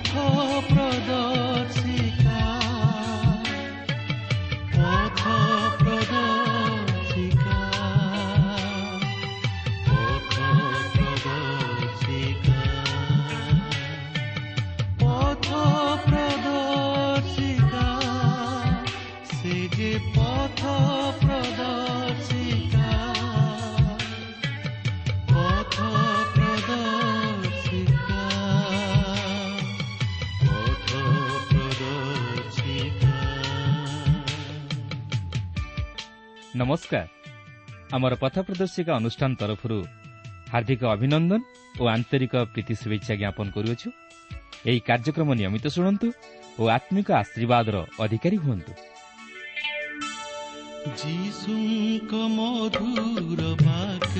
ପଥ ପ୍ରଦର୍ଶିକା, ପଥ ପ୍ରଦର୍ଶିକା, ପଥ ପ୍ରଦର୍ଶିକା, ପଥ ପ୍ରଦର୍ଶିକା, ସେ ଯେ ପଥ ପ୍ରଦର୍ଶିକା, ପଥ ପ୍ରଦର୍ଶିକା, ପଥ ପ୍ରଦର୍ଶିକା। ନମସ୍କାର। ଆମର ପଥ ପ୍ରଦର୍ଶିକା ଅନୁଷ୍ଠାନ ତରଫରୁ ହାର୍ଦ୍ଦିକ ଅଭିନନ୍ଦନ ଓ ଆନ୍ତରିକ ପ୍ରୀତି ଶୁଭେଚ୍ଛା ଜ୍ଞାପନ କରୁଅଛୁ। ଏହି କାର୍ଯ୍ୟକ୍ରମ ନିୟମିତ ଶୁଣନ୍ତୁ ଓ ଆତ୍ମିକ ଆଶୀର୍ବାଦର ଅଧିକାରୀ ହୁଅନ୍ତୁ। ଯୀଶୁଙ୍କ ମଧୁର ବାକ୍ୟ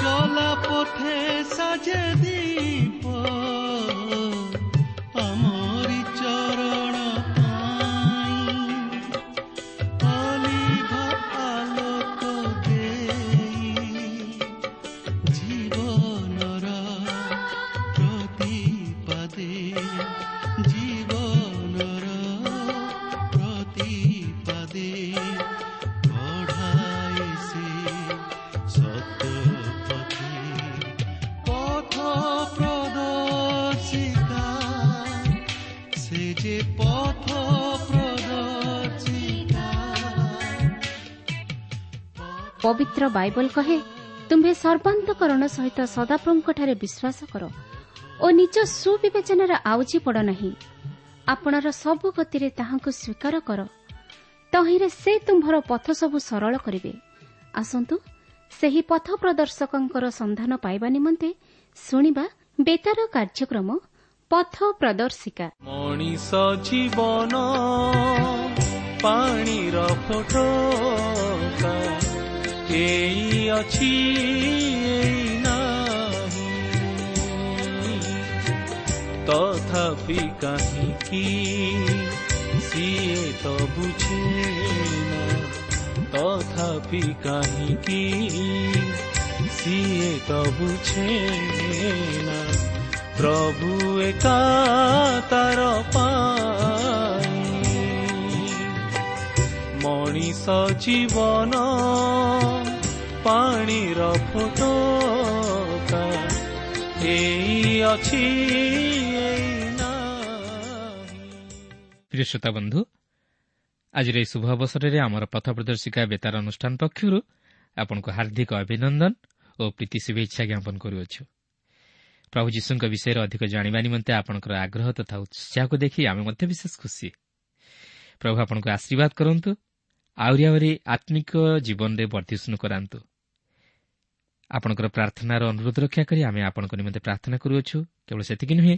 ଚଲା ପଥେ ସାଜେ ଦୀପ, ଆମରି ଚରଣ ପାଇଁ ଅଲିଭ ଆଲୋକ ଦେଇ, ଜୀବନର ପ୍ରତିପାଦେ, ଜୀବନର ପ୍ରତିପାଦେ କଢ଼ାଏ ସେ ସତ୍ୟ ପଥେ। ପଥ ପ୍ରଦର୍ଶିକା, ସେ ଯେ ପଥ ପ୍ରଦର୍ଶିକା। ପବିତ୍ର ବାଇବଲ କହେ, ତୁମ୍ଭେ ସର୍ବାନ୍ତକରଣ ସହିତ ସଦାପ୍ରଭୁଙ୍କଠାରେ ବିଶ୍ୱାସ କର ଓ ନିଜ ସୁବିବେଚନାରେ ଆଉଜି ପଡ଼ ନାହିଁ। ଆପଣର ସବୁ ଗତିରେ ତାହାଙ୍କୁ ସ୍ୱୀକାର କର, ତହିଁରେ ସେ ତୁମ୍ଭର ପଥ ସବୁ ସରଳ କରିବେ। ଆସନ୍ତୁ ସେହି ପଥ ପ୍ରଦର୍ଶକଙ୍କର ସନ୍ଧାନ ପାଇବା ନିମନ୍ତେ ଶୁଣିବା ବେତାର କାର୍ଯ୍ୟକ୍ରମ ପଥ ପ୍ରଦର୍ଶିକା। ମଣିଷ ଜୀବନ ପାଣିର ଫୋଟକା, ଏଇ ଅଛି ଏଇ ନାହିଁ, ତଥାପି କାହିଁକି ସିଏ ତ ବୁଝେ ନା, ତଥାପି କାହିଁକି ସିଏ ତ ବୁଝେ ନା, ପ୍ରଭୁ ଏକା ତାର ପାଇଁ। ମଣିଷ ଜୀବନ ପାଣିର ଫୋଟକା, ଏଇ ଅଛି ଏଇ ନାହିଁ। ପ୍ରିୟ ଶ୍ରୋତା ବନ୍ଧୁ, ଆଜିର ଏହି ଶୁଭ ଅବସରରେ ଆମର ପଥ ପ୍ରଦର୍ଶିକା ବେତାର ଅନୁଷ୍ଠାନ ପକ୍ଷରୁ ଆପଣଙ୍କୁ ହାର୍ଦ୍ଦିକ ଅଭିନନ୍ଦନ ଓ ପ୍ରୀତି ଶୁଭେଚ୍ଛା ଜ୍ଞାପନ କରୁଅଛୁ। ପ୍ରଭୁ ଯୀଶୁଙ୍କ ବିଷୟରେ ଅଧିକ ଜାଣିବା ନିମନ୍ତେ ଆପଣଙ୍କର ଆଗ୍ରହ ତଥା ଉତ୍ସାହକୁ ଦେଖି ଆମେ ମଧ୍ୟ ବିଶେଷ ଖୁସି। ପ୍ରଭୁ ଆପଣଙ୍କୁ ଆଶୀର୍ବାଦ କରନ୍ତୁ, ଆହୁରି ଆହୁରି ଆତ୍ମିକ ଜୀବନରେ ବର୍ଦ୍ଧିଷ୍ଣୁ କରାନ୍ତୁ। ଆପଣଙ୍କର ପ୍ରାର୍ଥନାର ଅନୁରୋଧ ରକ୍ଷା କରି ଆମେ ଆପଣଙ୍କ ନିମନ୍ତେ ପ୍ରାର୍ଥନା କରୁଅଛୁ। କେବଳ ସେତିକି ନୁହେଁ,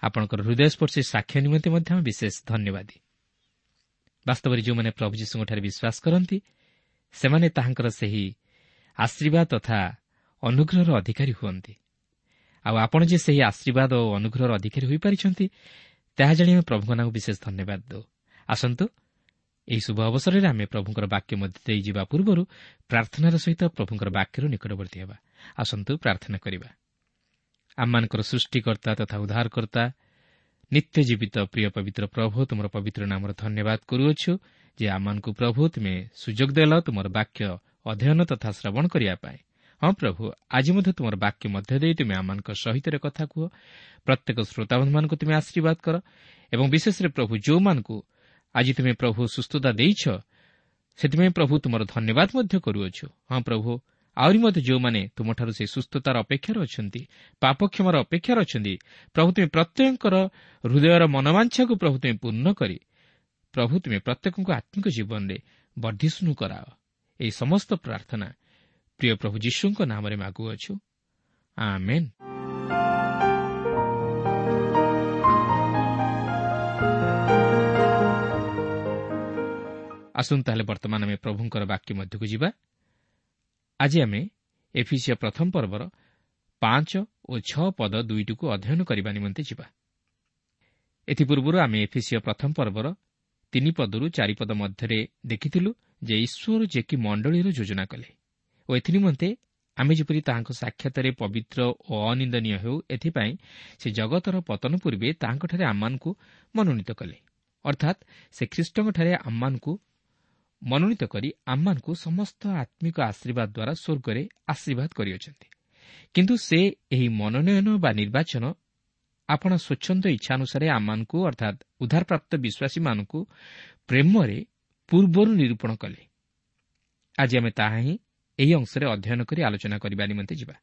ଆପଣଙ୍କର ହୃଦୟସ୍ପର୍ଶୀ ସାକ୍ଷ୍ୟ ନିମନ୍ତେ ମଧ୍ୟ ଆମେ ବିଶେଷ ଧନ୍ୟବାଦୀ। ବାସ୍ତବରେ ଯେଉଁମାନେ ପ୍ରଭୁ ଯୀଶୁଙ୍କଠାରେ ବିଶ୍ୱାସ କରନ୍ତି, ସେମାନେ ତାହାଙ୍କର ସେହି ଆଶୀର୍ବାଦ ତଥା ଅନୁଗ୍ରହର ଅଧିକାରୀ ହୁଅନ୍ତି। ଆଉ ଆପଣ ଯେ ସେହି ଆଶୀର୍ବାଦ ଓ ଅନୁଗ୍ରହର ଅଧିକାରୀ ହୋଇପାରିଛନ୍ତି, ତାହା ଜାଣି ଆମେ ପ୍ରଭୁଙ୍କ ନାମକୁ ବିଶେଷ ଧନ୍ୟବାଦ ଦେଉ। ଆସନ୍ତୁ ଏହି ଶୁଭ ଅବସରରେ ଆମେ ପ୍ରଭୁଙ୍କର ବାକ୍ୟ ମଧ୍ୟ ଦେଇ ଯିବା ପୂର୍ବରୁ ପ୍ରାର୍ଥନାର ସହିତ ପ୍ରଭୁଙ୍କର ବାକ୍ୟର ନିକଟବର୍ତ୍ତୀ ହେବା। ଆସନ୍ତୁ ପ୍ରାର୍ଥନା କରିବା। ଆମମାନଙ୍କର ସୃଷ୍ଟିକର୍ତ୍ତା ତଥା ଉଦ୍ଧାରକର୍ତ୍ତା, ନିତ୍ୟ ଜୀବିତ ପ୍ରିୟ ପବିତ୍ର ପ୍ରଭୁ, ତୁମର ପବିତ୍ର ନାମର ଧନ୍ୟବାଦ କରୁଅଛୁ ଯେ ଆମମାନଙ୍କୁ ପ୍ରଭୁ ତୁମେ ସୁଯୋଗ ଦେଲ ତୁମର ବାକ୍ୟ ଅଧ୍ୟୟନ ତଥା ଶ୍ରବଣ କରିବା ପାଇଁ। ହଁ ପ୍ରଭୁ, ଆଜି ମଧ୍ୟ ତୁମର ବାକ୍ୟ ମଧ୍ୟ ଦେଇ ତୁମେ ଆମମାନଙ୍କ ସହିତ କଥା କୁହ। ପ୍ରତ୍ୟେକ ଶ୍ରୋତାବନ୍ଧୁମାନଙ୍କୁ ତୁମେ ଆଶୀର୍ବାଦ କର ଏବଂ ବିଶେଷରେ ପ୍ରଭୁ ଯେଉଁମାନଙ୍କୁ ଆଜି ତୁମେ ପ୍ରଭୁ ସୁସ୍ଥତା ଦେଇଛ, ସେଥିପାଇଁ ପ୍ରଭୁ ତୁମର ଧନ୍ୟବାଦ ମଧ୍ୟ କରୁଅଛୁ। ହଁ ପ୍ରଭୁ, ଆହୁରି ମଧ୍ୟ ଯେଉଁମାନେ ତୁମଠାରୁ ସେହି ସୁସ୍ଥତାର ଅପେକ୍ଷାରେ ଅଛନ୍ତି, ପାପକ୍ଷମାର ଅପେକ୍ଷାରେ ଅଛନ୍ତି, ପ୍ରଭୁ ତୁମେ ପ୍ରତ୍ୟେକଙ୍କର ହୃଦୟର ମନୋବାଞ୍ଛାକୁ ପ୍ରଭୁ ତୁମେ ପୂର୍ଣ୍ଣ କରି ପ୍ରଭୁ ତୁମେ ପ୍ରତ୍ୟେକଙ୍କୁ ଆତ୍ମିକ ଜୀବନରେ ବର୍ଦ୍ଧିଷ୍ଣୁ କରାଅ। ଏହି ସମସ୍ତ ପ୍ରାର୍ଥନା ପ୍ରିୟ ପ୍ରଭୁ ଯୀଶୁଙ୍କ ନାମରେ ମାଗୁଅଛୁ, ଆମେନ୍। ଆସନ୍ତୁ ତାହେଲେ ବର୍ତ୍ତମାନ ଆମେ ପ୍ରଭୁଙ୍କର ବାକ୍ୟ ମଧ୍ୟକୁ ଯିବା। ଆଜି ଆମେ ଏଫିସିଆ ପ୍ରଥମ ପର୍ବର 5 ଓ 6 ପଦ ଦୁଇଟିକୁ ଅଧ୍ୟୟନ କରିବା ନିମନ୍ତେ ଯିବା। ଏଥିପୂର୍ବରୁ ଆମେ ଏଫିସିଆ ପ୍ରଥମ ପର୍ବର 3 ପଦରୁ 4 ପଦ ମଧ୍ୟରେ ଦେଖିଥିଲୁ ଯେ ଈଶ୍ୱର ଯେ କି ମଣ୍ଡଳୀର ଯୋଜନା କଲେ ଓ ଏଥିନିମନ୍ତେ ଆମେ ଯେପରି ତାହାଙ୍କ ସାକ୍ଷାତରେ ପବିତ୍ର ଓ ଅନିନ୍ଦନୀୟ ହେଉ, ଏଥିପାଇଁ ସେ ଜଗତର ପତନ ପୂର୍ବେ ତାହାଙ୍କଠାରେ ଆମମାନଙ୍କୁ ମନୋନୀତ କଲେ। ଅର୍ଥାତ୍ ସେ ଖ୍ରୀଷ୍ଟଙ୍କଠାରେ ଆମମାନଙ୍କୁ ମନୋନୀତ କରି ଆମମାନଙ୍କୁ ସମସ୍ତ ଆତ୍ମିକ ଆଶୀର୍ବାଦ ଦ୍ୱାରା ସ୍ୱର୍ଗରେ ଆଶୀର୍ବାଦ କରିଅଛନ୍ତି। କିନ୍ତୁ ସେ ଏହି ମନୋନୟନ ବା ନିର୍ବାଚନ ଆପଣ ସ୍ୱଚ୍ଛନ୍ଦ ଇଚ୍ଛାନୁସାରେ ଆମମାନଙ୍କୁ, ଅର୍ଥାତ୍ ଉଦ୍ଧାରପ୍ରାପ୍ତ ବିଶ୍ୱାସୀମାନଙ୍କୁ ପ୍ରେମରେ ପୂର୍ବରୁ ନିରୂପଣ କଲେ। ଆଜି ଆମେ ତାହା ହିଁ ଏହି ଅଂଶରେ ଅଧ୍ୟୟନ କରି ଆଲୋଚନା କରିବା ନିମନ୍ତେ ଯିବା।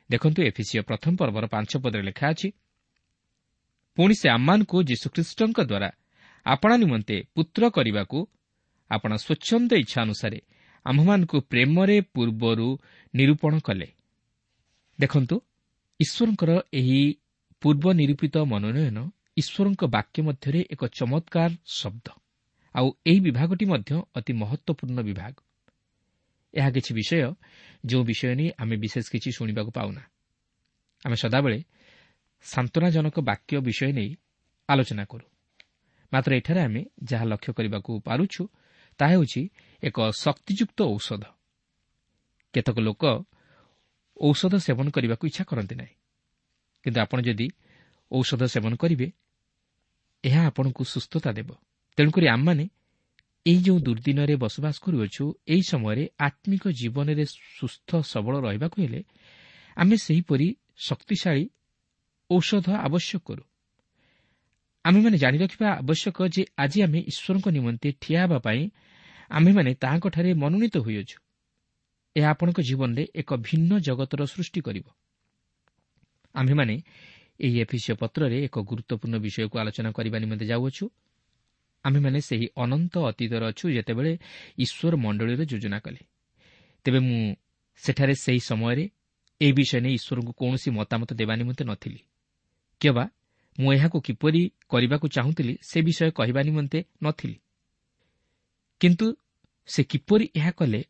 ଦେଖନ୍ତୁ, ଏଫିସିଓ ପ୍ରଥମ ପର୍ବର 5 ପଦରେ ଲେଖା ଅଛି, ପୁଣି ସେ ଆମମାନଙ୍କୁ ଯୀଶୁଖ୍ରୀଷ୍ଟଙ୍କ ଦ୍ୱାରା ଆପଣା ନିମନ୍ତେ ପୁତ୍ର କରିବାକୁ ଆପଣ ସ୍ୱଚ୍ଛନ୍ଦ ଇଚ୍ଛା ଅନୁସାରେ ଆମ୍ଭମାନଙ୍କୁ ପ୍ରେମରେ ପୂର୍ବରୁ ନିରୂପଣ କଲେ। ଦେଖନ୍ତୁ, ଈଶ୍ୱରଙ୍କର ଏହି ପୂର୍ବ ନିରୂପିତ ମନୋନୟନ ଈଶ୍ୱରଙ୍କ ବାକ୍ୟ ମଧ୍ୟରେ ଏକ ଚମତ୍କାର ଶବ୍ଦ, ଆଉ ଏହି ବିଭାଗଟି ମଧ୍ୟ ଅତି ମହତ୍ତ୍ୱପୂର୍ଣ୍ଣ ବିଭାଗ। ଏହା କିଛି ବିଷୟ ଯେଉଁ ବିଷୟ ନେଇ ଆମେ ବିଶେଷ କିଛି ଶୁଣିବାକୁ ପାଉନା। ଆମେ ସଦାବେଳେ ସାନ୍ତ୍ୱନାଜନକ ବାକ୍ୟ ବିଷୟ ନେଇ ଆଲୋଚନା କରୁ, ମାତ୍ର ଏଠାରେ ଆମେ ଯାହା ଲକ୍ଷ୍ୟ କରିବାକୁ ପାରୁଛୁ ତାହା ହେଉଛି ଏକ ଶକ୍ତିଯୁକ୍ତ ଔଷଧ। କେତେକ ଲୋକ ଔଷଧ ସେବନ କରିବାକୁ ଇଚ୍ଛା କରନ୍ତି ନାହିଁ, କିନ୍ତୁ ଆପଣ ଯଦି ଔଷଧ ସେବନ କରିବେ ଏହା ଆପଣଙ୍କୁ ସୁସ୍ଥତା ଦେବ। ତେଣୁକରି ଆମମାନେ ଏହି ଯେଉଁ ଦୁର୍ଦ୍ଦିନରେ ବସବାସ କରୁଅଛୁ, ଏହି ସମୟରେ ଆତ୍ମିକ ଜୀବନରେ ସୁସ୍ଥ ସବଳ ରହିବାକୁ ହେଲେ ଆମେ ସେହିପରି ଶକ୍ତିଶାଳୀ ଔଷଧ ଆବଶ୍ୟକ କରୁ। ଆମେମାନେ ଜାଣି ରଖିବା ଆବଶ୍ୟକ ଯେ ଆଜି ଆମେ ଈଶ୍ୱରଙ୍କ ନିମନ୍ତେ ଠିଆ ହେବା ପାଇଁ ଆମ୍ଭେମାନେ ତାହାଙ୍କଠାରେ ମନୋନୀତ ହୋଇଅଛୁ। ଏହା ଆପଣଙ୍କ ଜୀବନରେ ଏକ ଭିନ୍ନ ଜଗତର ସୃଷ୍ଟି କରିବ। ଆମ୍ଭେମାନେ ଏହି ଏଫିସିଓ ପତ୍ରରେ ଏକ ଗୁରୁତ୍ୱପୂର୍ଣ୍ଣ ବିଷୟକୁ ଆଲୋଚନା କରିବା ନିମନ୍ତେ ଯାଉଅଛୁ। ଆମ୍ଭେମାନେ ସେହି ଅନନ୍ତ ଅତୀତରେ ଅଛୁ ଯେତେବେଳେ ଈଶ୍ୱର ମଣ୍ଡଳୀର ଯୋଜନା କଲେ। ତେବେ ମୁଁ ସେଠାରେ ସେହି ସମୟରେ ଏହି ବିଷୟ ନେଇ ଈଶ୍ୱରଙ୍କୁ କୌଣସି ମତାମତ ଦେବା ନିମନ୍ତେ ନଥିଲି, କିମ୍ବା ମୁଁ ଏହାକୁ କିପରି କରିବାକୁ ଚାହୁଁଥିଲି ସେ ବିଷୟ କହିବା ନିମନ୍ତେ ନଥିଲି। କିନ୍ତୁ ସେ କିପରି ଏହା କଲେ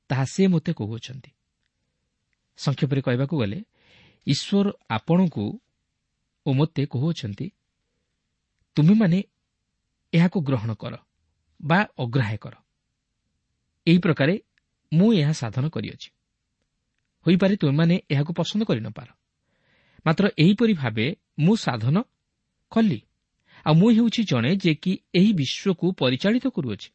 ତାହା ସେ ମୋତେ କହୁଅଛନ୍ତି। ସଂକ୍ଷେପରେ କହିବାକୁ ଗଲେ ଈଶ୍ୱର ଆପଣଙ୍କୁ ଓ ମୋତେ କହୁଅଛନ୍ତି, ତୁମେମାନେ ଏହାକୁ ଗ୍ରହଣ କର ବା ଅଗ୍ରାହ୍ୟ କର। ଏହି ପ୍ରକାରେ ମୁଁ ଏହା ସାଧନ କରିଅଛି। ହୋଇପାରେ ତୁମେମାନେ ଏହାକୁ ପସନ୍ଦ କରିନପାର, ମାତ୍ର ଏହିପରି ଭାବେ ମୁଁ ସାଧନ କଲି, ଆଉ ମୁଁ ହେଉଛି ଜଣେ ଯେ କି ଏହି ବିଶ୍ୱକୁ ପରିଚାଳିତ କରୁଅଛି।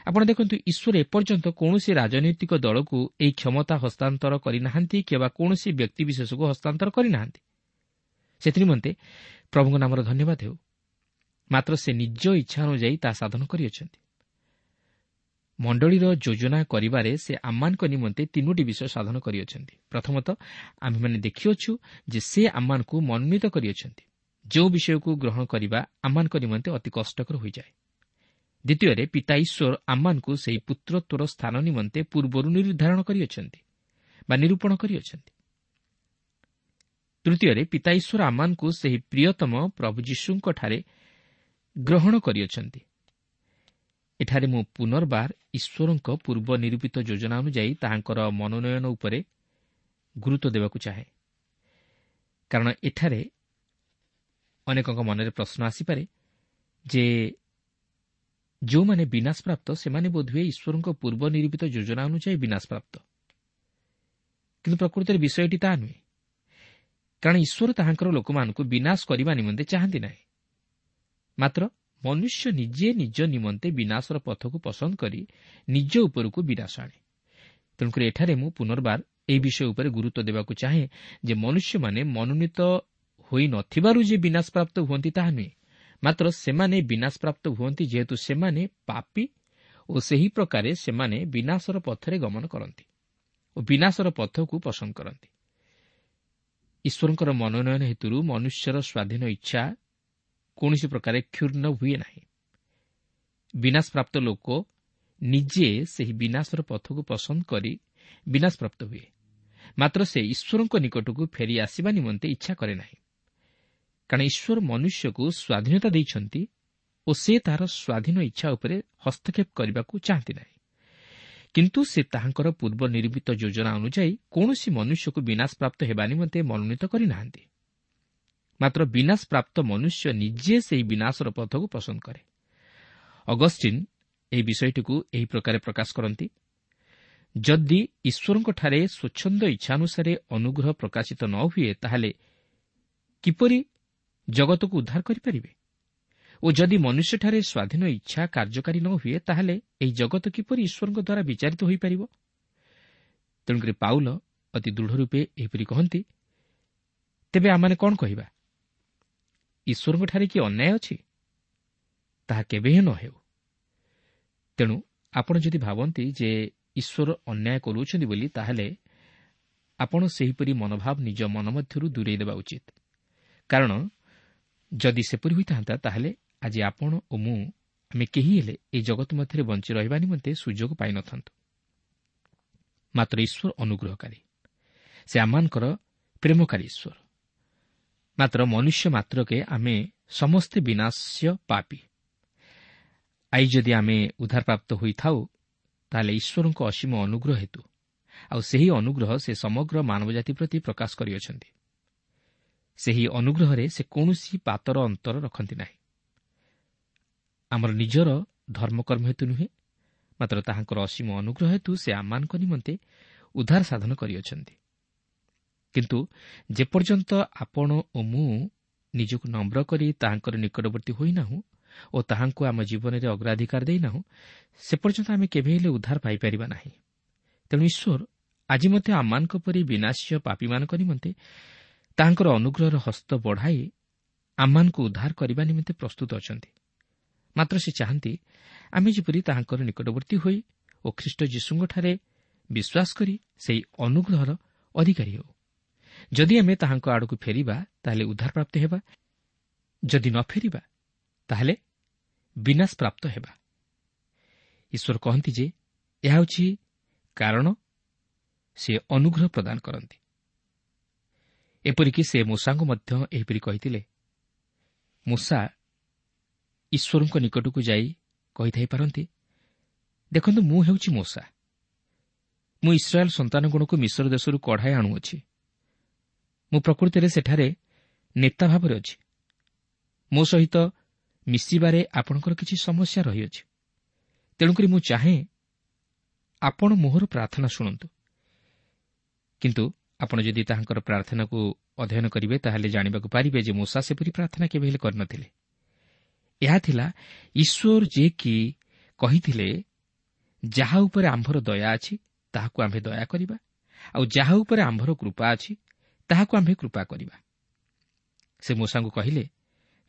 ଆପଣ ଦେଖନ୍ତୁ, ଈଶ୍ୱର ଏପର୍ଯ୍ୟନ୍ତ କୌଣସି ରାଜନୈତିକ ଦଳକୁ ଏହି କ୍ଷମତା ହସ୍ତାନ୍ତର କରିନାହାନ୍ତି କିମ୍ବା କୌଣସି ବ୍ୟକ୍ତିବିଶେଷକୁ ହସ୍ତାନ୍ତର କରିନାହାନ୍ତି। ସେଥିନିମନ୍ତେ ପ୍ରଭୁଙ୍କ ନାମର ଧନ୍ୟବାଦ ହେଉ। ମାତ୍ର ସେ ନିଜ ଇଚ୍ଛା ଅନୁଯାୟୀ ତାହା ସାଧନ କରିଅଛନ୍ତି। ମଣ୍ଡଳୀର ଯୋଜନା କରିବାରେ ସେ ଆମମାନଙ୍କ ନିମନ୍ତେ ତିନୋଟି ବିଷୟ ସାଧନ କରିଅଛନ୍ତି। ପ୍ରଥମତଃ ଆମ୍ଭେମାନେ ଦେଖିଅଛୁ ଯେ ସେ ଆମମାନଙ୍କୁ ମନୋନୀତ କରିଅଛନ୍ତି, ଯେଉଁ ବିଷୟକୁ ଗ୍ରହଣ କରିବା ଆମମାନଙ୍କ ନିମନ୍ତେ ଅତି କଷ୍ଟକର ହୋଇଯାଏ। ଦ୍ୱିତୀୟରେ, ପିତା ଈଶ୍ୱର ଆମମାନଙ୍କୁ ସେହି ପୁତ୍ରତ୍ୱର ସ୍ଥାନ ନିମନ୍ତେ ପୂର୍ବରୁ ନିର୍ଦ୍ଧାରଣ କରିଅଛନ୍ତି ବା ନିରୂପଣ କରିଅଛନ୍ତି। ତୃତୀୟରେ, ପିତା ଈଶ୍ୱର ଆମମାନଙ୍କୁ ସେହି ପ୍ରିୟତମ ପ୍ରଭୁ ଯୀଶୁଙ୍କଠାରେ ଗ୍ରହଣ କରିଅଛନ୍ତି। ଏଠାରେ ମୁଁ ପୁନର୍ବାର ଈଶ୍ୱରଙ୍କ ପୂର୍ବ ନିରୂପିତ ଯୋଜନା ଅନୁଯାୟୀ ତାହାଙ୍କର ମନୋନୟନ ଉପରେ ଗୁରୁତ୍ୱ ଦେବାକୁ ଚାହେଁ, କାରଣ ଏଠାରେ ଅନେକଙ୍କ ମନରେ ପ୍ରଶ୍ନ ଆସିପାରେ ଯେ ଯେଉଁମାନେ ବିନାଶପ୍ରାପ୍ତ ସେମାନେ ବୋଧହୁଏ ଈଶ୍ୱରଙ୍କ ପୂର୍ବ ନିରୂପିତ ଯୋଜନା ଅନୁଯାୟୀ ବିନାଶପ୍ରାପ୍ତ। କିନ୍ତୁ ପ୍ରକୃତରେ ବିଷୟଟି ତାହା ନୁହେଁ, କାରଣ ଈଶ୍ୱର ତାହାଙ୍କର ଲୋକମାନଙ୍କୁ ବିନାଶ କରିବା ନିମନ୍ତେ ଚାହାନ୍ତି ନାହିଁ। ମାତ୍ର ମନୁଷ୍ୟ ନିଜେ ନିଜ ନିମନ୍ତେ ବିନାଶର ପଥକୁ ପସନ୍ଦ କରି ନିଜ ଉପରକୁ ବିନାଶ ଆଣେ। ତେଣୁକରି ଏଠାରେ ମୁଁ ପୁନର୍ବାର ଏହି ବିଷୟ ଉପରେ ଗୁରୁତ୍ୱ ଦେବାକୁ ଚାହେଁ ଯେ ମନୁଷ୍ୟମାନେ ମନୋନୀତ ହୋଇନଥିବାରୁ ଯେ ବିନାଶପ୍ରାପ୍ତ ହୁଅନ୍ତି ତାହା ନୁହେଁ, ମାତ୍ର ସେମାନେ ବିନାଶପ୍ରାପ୍ତ ହୁଅନ୍ତି ଯେହେତୁ ସେମାନେ ପାପୀ ଓ ସେହି ପ୍ରକାରେ ସେମାନେ ବିନାଶର ପଥରେ ଗମନ କରନ୍ତି ଓ ବିନାଶର ପଥକୁ ପସନ୍ଦ କରନ୍ତି। ଈଶ୍ୱରଙ୍କର ମନୋନୟନ ହେତୁରୁ ମନୁଷ୍ୟର ସ୍ୱାଧୀନ ଇଚ୍ଛା କୌଣସି ପ୍ରକାରେ କ୍ଷୁର୍ଣ୍ଣ ହୁଏ ନାହିଁ। ବିନାଶପ୍ରାପ୍ତ ଲୋକ ନିଜେ ସେହି ବିନାଶର ପଥକୁ ପସନ୍ଦ କରି ବିନାଶପ୍ରାପ୍ତ ହୁଏ, ମାତ୍ର ସେ ଈଶ୍ୱରଙ୍କ ନିକଟକୁ ଫେରି ଆସିବା ନିମନ୍ତେ ଇଚ୍ଛା କରେ ନାହିଁ, କାରଣ ଈଶ୍ୱର ମନୁଷ୍ୟକୁ ସ୍ୱାଧୀନତା ଦେଇଛନ୍ତି ଓ ସେ ତାହାର ସ୍ୱାଧୀନ ଇଚ୍ଛା ଉପରେ ହସ୍ତକ୍ଷେପ କରିବାକୁ ଚାହାନ୍ତି ନାହିଁ। କିନ୍ତୁ ସେ ତାହାଙ୍କର ପୂର୍ବ ନିରୂପିତ ଯୋଜନା ଅନୁଯାୟୀ କୌଣସି ମନୁଷ୍ୟକୁ ବିନାଶପ୍ରାପ୍ତ ହେବା ନିମନ୍ତେ ମନୋନୀତ କରିନାହାନ୍ତି, ମାତ୍ର ବିନାଶପ୍ରାପ୍ତ ମନୁଷ୍ୟ ନିଜେ ସେହି ବିନାଶର ପଥକୁ ପସନ୍ଦ କରେ। ଅଗଷ୍ଟିନ୍ ଏହି ବିଷୟଟିକୁ ଏହି ପ୍ରକାରେ ପ୍ରକାଶ କରନ୍ତି, ଯଦି ଈଶ୍ୱରଙ୍କଠାରେ ସ୍ୱଚ୍ଛନ୍ଦ ଇଚ୍ଛାନୁସାରେ ଅନୁଗ୍ରହ ପ୍ରକାଶିତ ନ ହୁଏ, ତାହେଲେ କିପରି ଜଗତକୁ ଉଦ୍ଧାର କରିପାରିବେ? ଓ ଯଦି ମନୁଷ୍ୟଠାରେ ସ୍ୱାଧୀନ ଇଚ୍ଛା କାର୍ଯ୍ୟକାରୀ ନ ହୁଏ, ତାହେଲେ ଏହି ଜଗତ କିପରି ଈଶ୍ୱରଙ୍କ ଦ୍ୱାରା ବିଚାରିତ ହୋଇପାରିବ? ତେଣୁକରି ପାଉଲ ଅତି ଦୃଢ଼ ରୂପେ ଏହିପରି କହନ୍ତି, ତେବେ ଆମମାନେ କ'ଣ କହିବା? ଈଶ୍ୱରଙ୍କଠାରେ କି ଅନ୍ୟାୟ ଅଛି? ତାହା କେବେ ହିଁ ନ ହେଉ। ତେଣୁ ଆପଣ ଯଦି ଭାବନ୍ତି ଯେ ଈଶ୍ୱର ଅନ୍ୟାୟ କରୁଅଛନ୍ତି ବୋଲି, ତାହେଲେ ଆପଣ ସେହିପରି ମନୋଭାବ ନିଜ ମନ ମଧ୍ୟରୁ ଦୂରେଇ ଦେବା ଉଚିତ। କାରଣ ଯଦି ସେପରି ହୋଇଥାନ୍ତା, ତାହେଲେ ଆଜି ଆପଣ ଓ ମୁଁ ଆମେ କେହି ହେଲେ ଏହି ଜଗତ ମଧ୍ୟରେ ବଞ୍ଚି ରହିବା ନିମନ୍ତେ ସୁଯୋଗ ପାଇନଥାନ୍ତୁ। ମାତ୍ର ଈଶ୍ୱର ଅନୁଗ୍ରହକାରୀ, ସେ ଆମମାନଙ୍କର ପ୍ରେମକାରୀ ଈଶ୍ୱର। ମାତ୍ର ମନୁଷ୍ୟ ମାତ୍ରକେ ଆମେ ସମସ୍ତେ ବିନାଶ୍ୟ ପାପୀ। I ଯଦି ଆମେ ଉଦ୍ଧାରପ୍ରାପ୍ତ ହୋଇଥାଉ, ତାହେଲେ ଈଶ୍ୱରଙ୍କ ଅସୀମ ଅନୁଗ୍ରହ ହେତୁ, ଆଉ ସେହି ଅନୁଗ୍ରହ ସେ ସମଗ୍ର ମାନବଜାତି ପ୍ରତି ପ୍ରକାଶ କରିଅଛନ୍ତି। ସେହି ଅନୁଗ୍ରହରେ ସେ କୌଣସି ପାତର ଅନ୍ତର ରଖନ୍ତି ନାହିଁ। ଆମର ନିଜର ଧର୍ମକର୍ମ ହେତୁ ନୁହେଁ, ମାତ୍ର ତାହାଙ୍କର ଅସୀମ ଅନୁଗ୍ରହ ହେତୁ ସେ ଆମମାନଙ୍କ ନିମନ୍ତେ ଉଦ୍ଧାର ସାଧନ କରିଅଛନ୍ତି। କିନ୍ତୁ ଯେପର୍ଯ୍ୟନ୍ତ ଆପଣ ଓ ମୁଁ ନିଜକୁ ନମ୍ର କରି ତାହାଙ୍କର ନିକଟବର୍ତ୍ତୀ ହୋଇନାହୁଁ ଓ ତାହାଙ୍କୁ ଆମ ଜୀବନରେ ଅଗ୍ରାଧିକାର ଦେଇନାହୁଁ, ସେ ପର୍ଯ୍ୟନ୍ତ ଆମେ କେବେ ହେଲେ ଉଦ୍ଧାର ପାଇପାରିବା ନାହିଁ। ତେଣୁ ଈଶ୍ୱର ଆଜି ମଧ୍ୟ ଆମମାନଙ୍କ ପରି ବିନାଶ୍ୟ ପାପୀମାନଙ୍କ ନିମନ୍ତେ ତାହାଙ୍କର ଅନୁଗ୍ରହର ହସ୍ତ ବଢ଼ାଇ ଆମମାନଙ୍କୁ ଉଦ୍ଧାର କରିବା ନିମନ୍ତେ ପ୍ରସ୍ତୁତ ଅଛନ୍ତି। ମାତ୍ର ସେ ଚାହାନ୍ତି ଆମେ ଯେପରି ତାହାଙ୍କର ନିକଟବର୍ତ୍ତୀ ହୋଇ ଓ ଖ୍ରୀଷ୍ଟ ଯୀଶୁଙ୍କଠାରେ ବିଶ୍ୱାସ କରି ସେହି ଅନୁଗ୍ରହର ଅଧିକାରୀ ହେଉ। ଯଦି ଆମେ ତାହାଙ୍କ ଆଡ଼କୁ ଫେରିବା, ତାହେଲେ ଉଦ୍ଧାରପ୍ରାପ୍ତ ହେବା। ଯଦି ନ ଫେରିବା, ତାହେଲେ ବିନାଶ ପ୍ରାପ୍ତ ହେବା। ଈଶ୍ୱର କହନ୍ତି ଯେ ଏହା ହେଉଛି କାରଣ ସେ ଅନୁଗ୍ରହ ପ୍ରଦାନ କରନ୍ତି। ଏପରିକି ସେ ମୂଷାଙ୍କୁ ମଧ୍ୟ ଏହିପରି କହିଥିଲେ। ମୂଷା ଈଶ୍ୱରଙ୍କ ନିକଟକୁ ଯାଇ କହିଥାଇପାରନ୍ତି, ଦେଖନ୍ତୁ, ମୁଁ ହେଉଛି ମୂଷା, ମୁଁ ଇସ୍ରାଏଲ୍ ସନ୍ତାନଗଣକୁ ମିଶ୍ର ଦେଶରୁ କଢ଼ାଇ ଆଣୁଅଛି। ମୁଁ ପ୍ରକୃତିରେ ସେଠାରେ ନେତା ଭାବରେ ଅଛି। ମୋ ସହିତ ମିଶିବାରେ ଆପଣଙ୍କର କିଛି ସମସ୍ୟା ରହିଅଛି, ତେଣୁକରି ମୁଁ ଚାହେଁ ଆପଣ ମୋହର ପ୍ରାର୍ଥନା ଶୁଣନ୍ତୁ। କିନ୍ତୁ ଆପଣ ଯଦି ତାହାଙ୍କର ପ୍ରାର୍ଥନାକୁ ଅଧ୍ୟୟନ କରିବେ, ତାହେଲେ ଜାଣିବାକୁ ପାରିବେ ଯେ ମୂଷା ସେପରି ପ୍ରାର୍ଥନା କେବେ ହେଲେ କରିନଥିଲେ। ଏହା ଥିଲା ଈଶ୍ୱର ଯିଏକି କହିଥିଲେ, ଯାହା ଉପରେ ଆମ୍ଭର ଦୟା ଅଛି ତାହାକୁ ଆମ୍ଭେ ଦୟା କରିବା, ଆଉ ଯାହା ଉପରେ ଆମ୍ଭର କୃପା ଅଛି ତାହାକୁ ଆମ୍ଭେ କୃପା କରିବା। ସେ ମୂଷାଙ୍କୁ କହିଲେ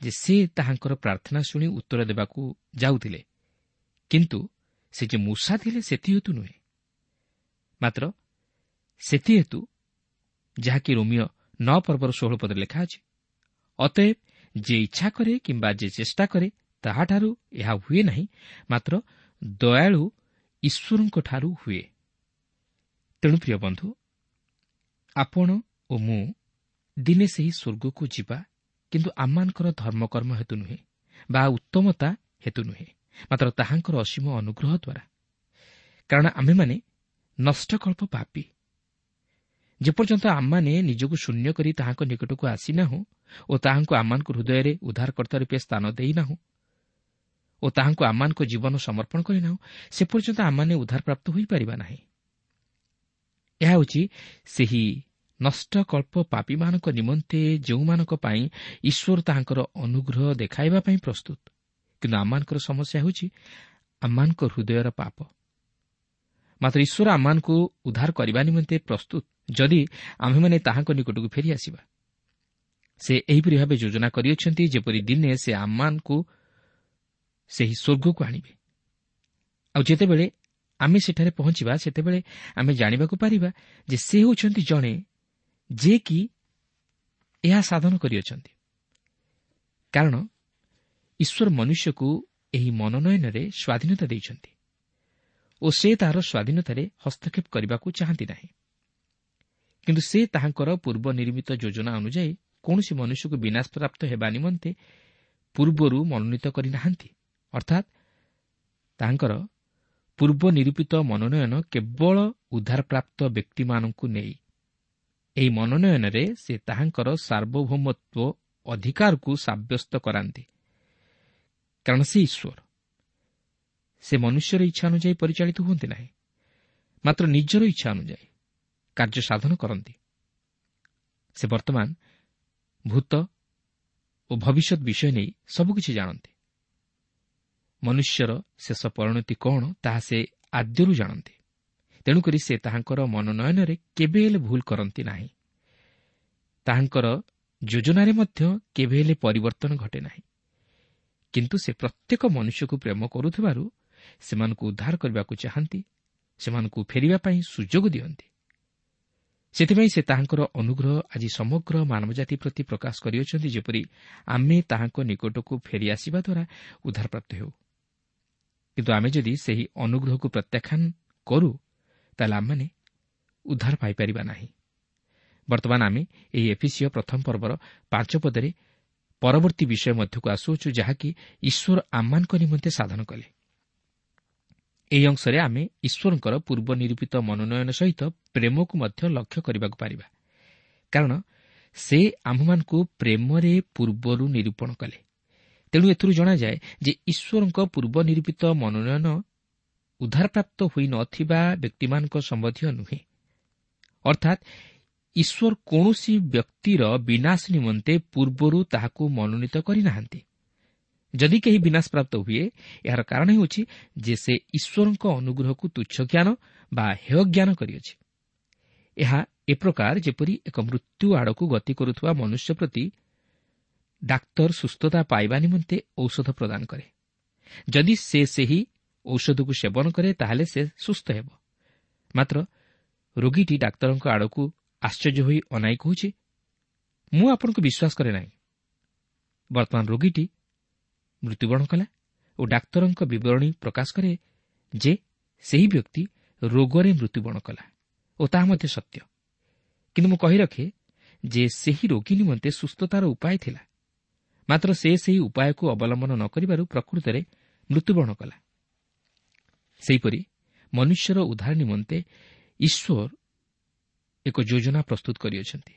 ଯେ ସେ ତାହାଙ୍କର ପ୍ରାର୍ଥନା ଶୁଣି ଉତ୍ତର ଦେବାକୁ ଯାଉଥିଲେ, କିନ୍ତୁ ସେ ଯେ ମୂଷା ଥିଲେ ସେଥିହେତୁ ନୁହେଁ, ମାତ୍ର ସେଥିହେତୁ ଯାହାକି ରୋମିଓ 9 ପର୍ବର 16 ପଦରେ ଲେଖା ଅଛି, ଅତଏବ ଯେ ଇଚ୍ଛା କରେ କିମ୍ବା ଯେ ଚେଷ୍ଟା କରେ ତାହାଠାରୁ ଏହା ହୁଏ ନାହିଁ, ମାତ୍ର ଦୟାଳୁ ଈଶ୍ୱରଙ୍କଠାରୁ ହୁଏ। ତେଣୁ ପ୍ରିୟ ବନ୍ଧୁ, ଆପଣ ଓ ମୁଁ ଦିନେ ସେହି ସ୍ୱର୍ଗକୁ ଯିବା, କିନ୍ତୁ ଆମମାନଙ୍କର ଧର୍ମକର୍ମ ହେତୁ ନୁହେଁ ବା ଉତ୍ତମତା ହେତୁ ନୁହେଁ, ମାତ୍ର ତାହାଙ୍କର ଅସୀମ ଅନୁଗ୍ରହ ଦ୍ୱାରା। କାରଣ ଆମେମାନେ ନଷ୍ଟକଳ୍ପ ପାପୀ। ଯେପର୍ଯ୍ୟନ୍ତ ଆମମାନେ ନିଜକୁ ଶୂନ୍ୟ କରି ତାହାଙ୍କ ନିକଟକୁ ଆସିନାହୁଁ ଓ ତାହାଙ୍କୁ ଆମମାନଙ୍କ ହୃଦୟରେ ଉଦ୍ଧାରକର୍ତ୍ତା ରୂପେ ସ୍ଥାନ ଦେଇନାହୁଁ ଓ ତାହାଙ୍କୁ ଆମମାନଙ୍କ ଜୀବନ ସମର୍ପଣ କରିନାହୁଁ, ସେ ପର୍ଯ୍ୟନ୍ତ ଆମମାନେ ଉଦ୍ଧାରପ୍ରାପ୍ତ ହୋଇପାରିବା ନାହିଁ। ଏହା ହେଉଛି ସେହି ନଷ୍ଟକଳ୍ପ ପାପୀମାନଙ୍କ ନିମନ୍ତେ ଯେଉଁମାନଙ୍କ ପାଇଁ ଈଶ୍ୱର ତାହାଙ୍କର ଅନୁଗ୍ରହ ଦେଖାଇବା ପାଇଁ ପ୍ରସ୍ତୁତ। କିନ୍ତୁ ଆମମାନଙ୍କର ସମସ୍ୟା ହେଉଛି ଆମମାନଙ୍କ ହୃଦୟର ପାପ। ମାତ୍ର ଈଶ୍ୱର ଆମମାନଙ୍କୁ ଉଦ୍ଧାର କରିବା ନିମନ୍ତେ ପ୍ରସ୍ତୁତ, ଯଦି ଆମ୍ଭେମାନେ ତାହାଙ୍କ ନିକଟକୁ ଫେରିଆସିବା। ସେ ଏହିପରି ଭାବେ ଯୋଜନା କରିଅଛନ୍ତି ଯେପରି ଦିନେ ସେ ଆମମାନଙ୍କୁ ସେହି ସ୍ୱର୍ଗକୁ ଆଣିବେ। ଆଉ ଯେତେବେଳେ ଆମେ ସେଠାରେ ପହଞ୍ଚିବା, ସେତେବେଳେ ଆମେ ଜାଣିବାକୁ ପାରିବା ଯେ ସେ ହେଉଛନ୍ତି ଜଣେ ଯିଏକି ଏହା ସାଧନ କରିଅଛନ୍ତି। କାରଣ ଈଶ୍ୱର ମନୁଷ୍ୟକୁ ଏହି ମନୋନୟନରେ ସ୍ୱାଧୀନତା ଦେଇଛନ୍ତି ଓ ସେ ତାହାର ସ୍ୱାଧୀନତାରେ ହସ୍ତକ୍ଷେପ କରିବାକୁ ଚାହାନ୍ତି ନାହିଁ। କିନ୍ତୁ ସେ ତାହାଙ୍କର ପୂର୍ବ ନିର୍ମିତ ଯୋଜନା ଅନୁଯାୟୀ କୌଣସି ମନୁଷ୍ୟକୁ ବିନାଶପ୍ରାପ୍ତ ହେବା ନିମନ୍ତେ ପୂର୍ବରୁ ମନୋନୀତ କରିନାହାନ୍ତି। ଅର୍ଥାତ୍ ତାହାଙ୍କର ପୂର୍ବ ନିରୂପିତ ମନୋନୟନ କେବଳ ଉଦ୍ଧାରପ୍ରାପ୍ତ ବ୍ୟକ୍ତିମାନଙ୍କୁ ନେଇ। ଏହି ମନୋନୟନରେ ସେ ତାହାଙ୍କର ସାର୍ବଭୌମତ୍ୱ ଅଧିକାରକୁ ସାବ୍ୟସ୍ତ କରାନ୍ତି, କାରଣ ସେ ଈଶ୍ୱର। ସେ ମନୁଷ୍ୟର ଇଚ୍ଛା ଅନୁଯାୟୀ ପରିଚାଳିତ ହୁଅନ୍ତି ନାହିଁ, ମାତ୍ର ନିଜର ଇଚ୍ଛା ଅନୁଯାୟୀ କାର୍ଯ୍ୟ ସାଧନ କରନ୍ତି। ସେ ବର୍ତ୍ତମାନ ଭୂତ ଓ ଭବିଷ୍ୟତ ବିଷୟ ନେଇ ସବୁକିଛି ଜାଣନ୍ତି। ମନୁଷ୍ୟର ଶେଷ ପରିଣତି କ'ଣ ତାହା ସେ ଆଦ୍ୟରୁ ଜାଣନ୍ତି। ତେଣୁକରି ସେ ତାହାଙ୍କର ମନୋନୟନରେ କେବେ ହେଲେ ଭୁଲ କରନ୍ତି ନାହିଁ। ତାହାଙ୍କର ଯୋଜନାରେ ମଧ୍ୟ କେବେ ହେଲେ ପରିବର୍ତ୍ତନ ଘଟେ ନାହିଁ। କିନ୍ତୁ ସେ ପ୍ରତ୍ୟେକ ମନୁଷ୍ୟକୁ ପ୍ରେମ କରୁଥିବାରୁ ସେମାନଙ୍କୁ ଉଦ୍ଧାର କରିବାକୁ ଚାହାନ୍ତି, ସେମାନଙ୍କୁ ଫେରିବା ପାଇଁ ସୁଯୋଗ ଦିଅନ୍ତି। ସେଥିପାଇଁ ସେ ତାହାଙ୍କର ଅନୁଗ୍ରହ ଆଜି ସମଗ୍ର ମାନବଜାତି ପ୍ରତି ପ୍ରକାଶ କରିଅଛନ୍ତି, ଯେପରି ଆମେ ତାହାଙ୍କ ନିକଟକୁ ଫେରିଆସିବା ଦ୍ୱାରା ଉଦ୍ଧାରପ୍ରାପ୍ତ ହେଉ। କିନ୍ତୁ ଆମେ ଯଦି ସେହି ଅନୁଗ୍ରହକୁ ପ୍ରତ୍ୟାଖ୍ୟାନ କରୁ, ତାହେଲେ ଆମେମାନେ ଉଦ୍ଧାର ପାଇପାରିବା ନାହିଁ। ବର୍ତ୍ତମାନ ଆମେ ଏହି ଏଫିସିୟ ପ୍ରଥମ ପର୍ବର 5 ପଦରେ ପରବର୍ତ୍ତୀ ବିଷୟ ମଧ୍ୟକୁ ଆସୁଅଛୁ, ଯାହାକି ଈଶ୍ୱର ଆମମାନଙ୍କ ନିମନ୍ତେ ସାଧନ କଲେ। ଏହି ଅଂଶରେ ଆମେ ଈଶ୍ୱରଙ୍କର ପୂର୍ବ ନିରୂପିତ ମନୋନୟନ ସହିତ ପ୍ରେମକୁ ମଧ୍ୟ ଲକ୍ଷ୍ୟ କରିବାକୁ ପାରିବା, କାରଣ ସେ ଆମ୍ଭମାନଙ୍କୁ ପ୍ରେମରେ ପୂର୍ବରୁ ନିରୂପଣ କଲେ। ତେଣୁ ଏଥିରୁ ଜଣାଯାଏ ଯେ ଈଶ୍ୱରଙ୍କ ପୂର୍ବ ନିରୂପିତ ମନୋନୟନ ଉଦ୍ଧାରପ୍ରାପ୍ତ ହୋଇନଥିବା ବ୍ୟକ୍ତିମାନଙ୍କ ସମ୍ବନ୍ଧୀୟ ନୁହେଁ। ଅର୍ଥାତ୍ ଈଶ୍ୱର କୌଣସି ବ୍ୟକ୍ତିର ବିନାଶ ନିମନ୍ତେ ପୂର୍ବରୁ ତାହାକୁ ମନୋନୀତ କରିନାହାନ୍ତି। ଯଦି କେହି ବିନାଶପ୍ରାପ୍ତ ହୁଏ, ଏହାର କାରଣ ହେଉଛି ଯେ ସେ ଈଶ୍ୱରଙ୍କ ଅନୁଗ୍ରହକୁ ତୁଚ୍ଛ ଜ୍ଞାନ ବା ହେୟ ଜ୍ଞାନ କରିଅଛି। ଏହା ଏ ପ୍ରକାର ଯେପରି ଏକ ମୃତ୍ୟୁ ଆଡ଼କୁ ଗତି କରୁଥିବା ମନୁଷ୍ୟ ପ୍ରତି ଡାକ୍ତର ସୁସ୍ଥତା ପାଇବା ନିମନ୍ତେ ଔଷଧ ପ୍ରଦାନ କରେ। ଯଦି ସେ ସେହି ଔଷଧକୁ ସେବନ କରେ, ତାହେଲେ ସେ ସୁସ୍ଥ ହେବ। ମାତ୍ର ରୋଗୀଟି ଡାକ୍ତରଙ୍କ ଆଡ଼କୁ ଆଶ୍ଚର୍ଯ୍ୟ ହୋଇ ଅନାଇ କହୁଛି, ମୁଁ ଆପଣଙ୍କୁ ବିଶ୍ୱାସ କରେ ନାହିଁ। ବର୍ତ୍ତମାନ ରୋଗୀଟି ମୃତ୍ୟୁବରଣ କଲା ଓ ଡାକ୍ତରଙ୍କ ବିବରଣୀ ପ୍ରକାଶ କରେ ଯେ ସେହି ବ୍ୟକ୍ତି ରୋଗରେ ମୃତ୍ୟୁବରଣ କଲା ଓ ତାହା ମଧ୍ୟ ସତ୍ୟ। କିନ୍ତୁ ମୁଁ କହି ରଖେ ଯେ ସେହି ରୋଗୀ ନିମନ୍ତେ ସୁସ୍ଥତାର ଉପାୟ ଥିଲା, ମାତ୍ର ସେ ସେହି ଉପାୟକୁ ଅବଲମ୍ବନ ନ କରିବାରୁ ପ୍ରକୃତରେ ମୃତ୍ୟୁବରଣ କଲା। ସେହିପରି ମନୁଷ୍ୟର ଉଦ୍ଧାର ନିମନ୍ତେ ଈଶ୍ୱର ଏକ ଯୋଜନା ପ୍ରସ୍ତୁତ କରିଅଛନ୍ତି,